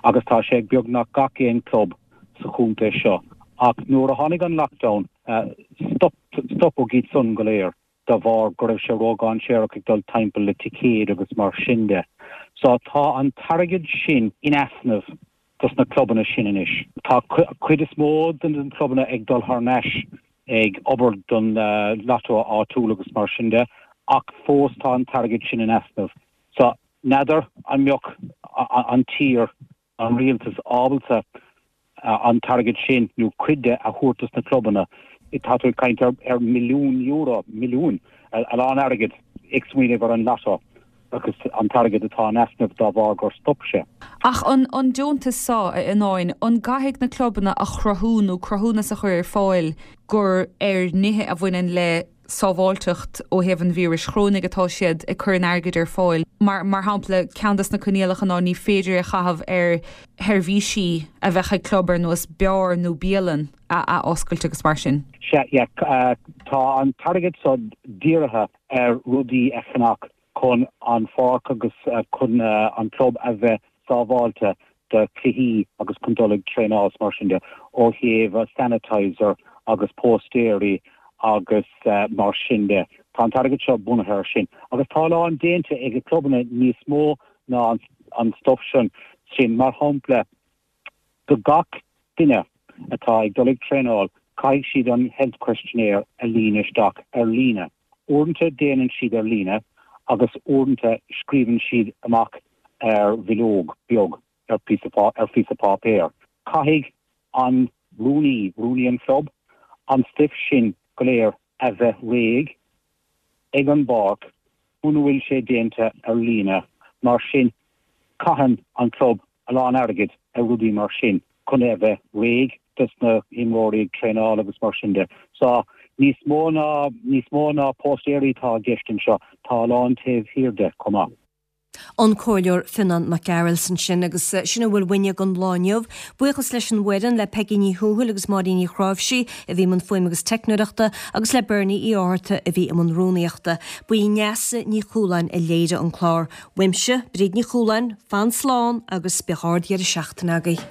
agus tá sé ag beagnach gach aon club sa chontae seo ach nuair a tháinig an lockdown stop, stopadh iad san go léir de bharr go raibh sé ródhainséarach ag dul timpeall le ticéid agus mar sin de. So tá an t-airgead sin in easnamh dos na clubanna sin anois. Tá cuid is mó de na clubanna ag dul thar n-ais ag obair don lotto áitiúil agus mar sin de ach fós tá an t-airgead sin in easnamh. So n'fheadar an mbeadh an tír, an rialtas ábalta an t-airgead sin nó cuid de a thabhairt dos na clubanna. Tá tú ag caint ar milliún euro, milliún, a lán airgid ag smaoineamh ar an lotto agus an t-airgead atá in easnamh dá bharr gur stop sé. Ach an an deontas seo, a Fhionnáin, an gcaithfidh na clubanna a chruthú nó cruthúnas a chur ar fáil gur ar nithe a bhaineann le sábháilteacht ó thaobh an víris chorónaigh atá siad ag cur an airgid ar fáil? Mar mar shampla, ceann des na coinníollacha ná ní féidir é a chaitheamh ar sheirbhísí a bheadh ag club ar nós beár nó bialann a athoscailt agus mar sin. Sea, yeah, tá an t-airgead seo dírithe ar rudaí a cheannach chun an pháirc agus chun an club a bheith sábháilte do chluichí agus chun dul ag traenáil is mar sin de, ó thaobh sanitizer agus póstaeirí agus mar sin de. Tá an t-airgead seo bunaithe ar sin. Agus tá a lán déanta ag na clubanna níos mó ná an stuif sin. Mar shampla, Do gach duine atá ag dul ag traenáil, caithfidh siad an health questionnaire a líonadh isteach ar líne. Uaireanta déanann siad ar líne agus uaireanta scríobhann siad amach ar bhileog beag ar phíosa páipéir. Caithfidh an rúnaí, rúnaí an chlub, an stuif sin go léir a bheith réidh ag an bpáirc muna bhfuil sé déanta ar líne. Mar sin caitheann an club a lán airgid ar rudaí mar sin chun é a bheith réidh dos na himreoirí ag traenáil agus mar sin de. So, níos mó ná, níos mó ná póstaeirí atá i gceist anseo, tá a lán taobh thiar de chomh maith. An Comhairleoir Fionán Mac Gearailt ansin agus sin a bhfuil uainne don lá inniu. Buíochas leis an bhfoireann, le Peigí Ní Thuathail agus Máirín Ní Chráimhsí a bhí i mbun fuaime agus teicneoireachta agus le Bernie Uí Fhátharta a bhí i mbun rúnaíochta. Ba í Neasa Ní Chualáin a léirigh an clár. Uaimse, Bríd Ní Chualáin, fan slán agus bíodh ard-dheireadh seachtaine agaibh.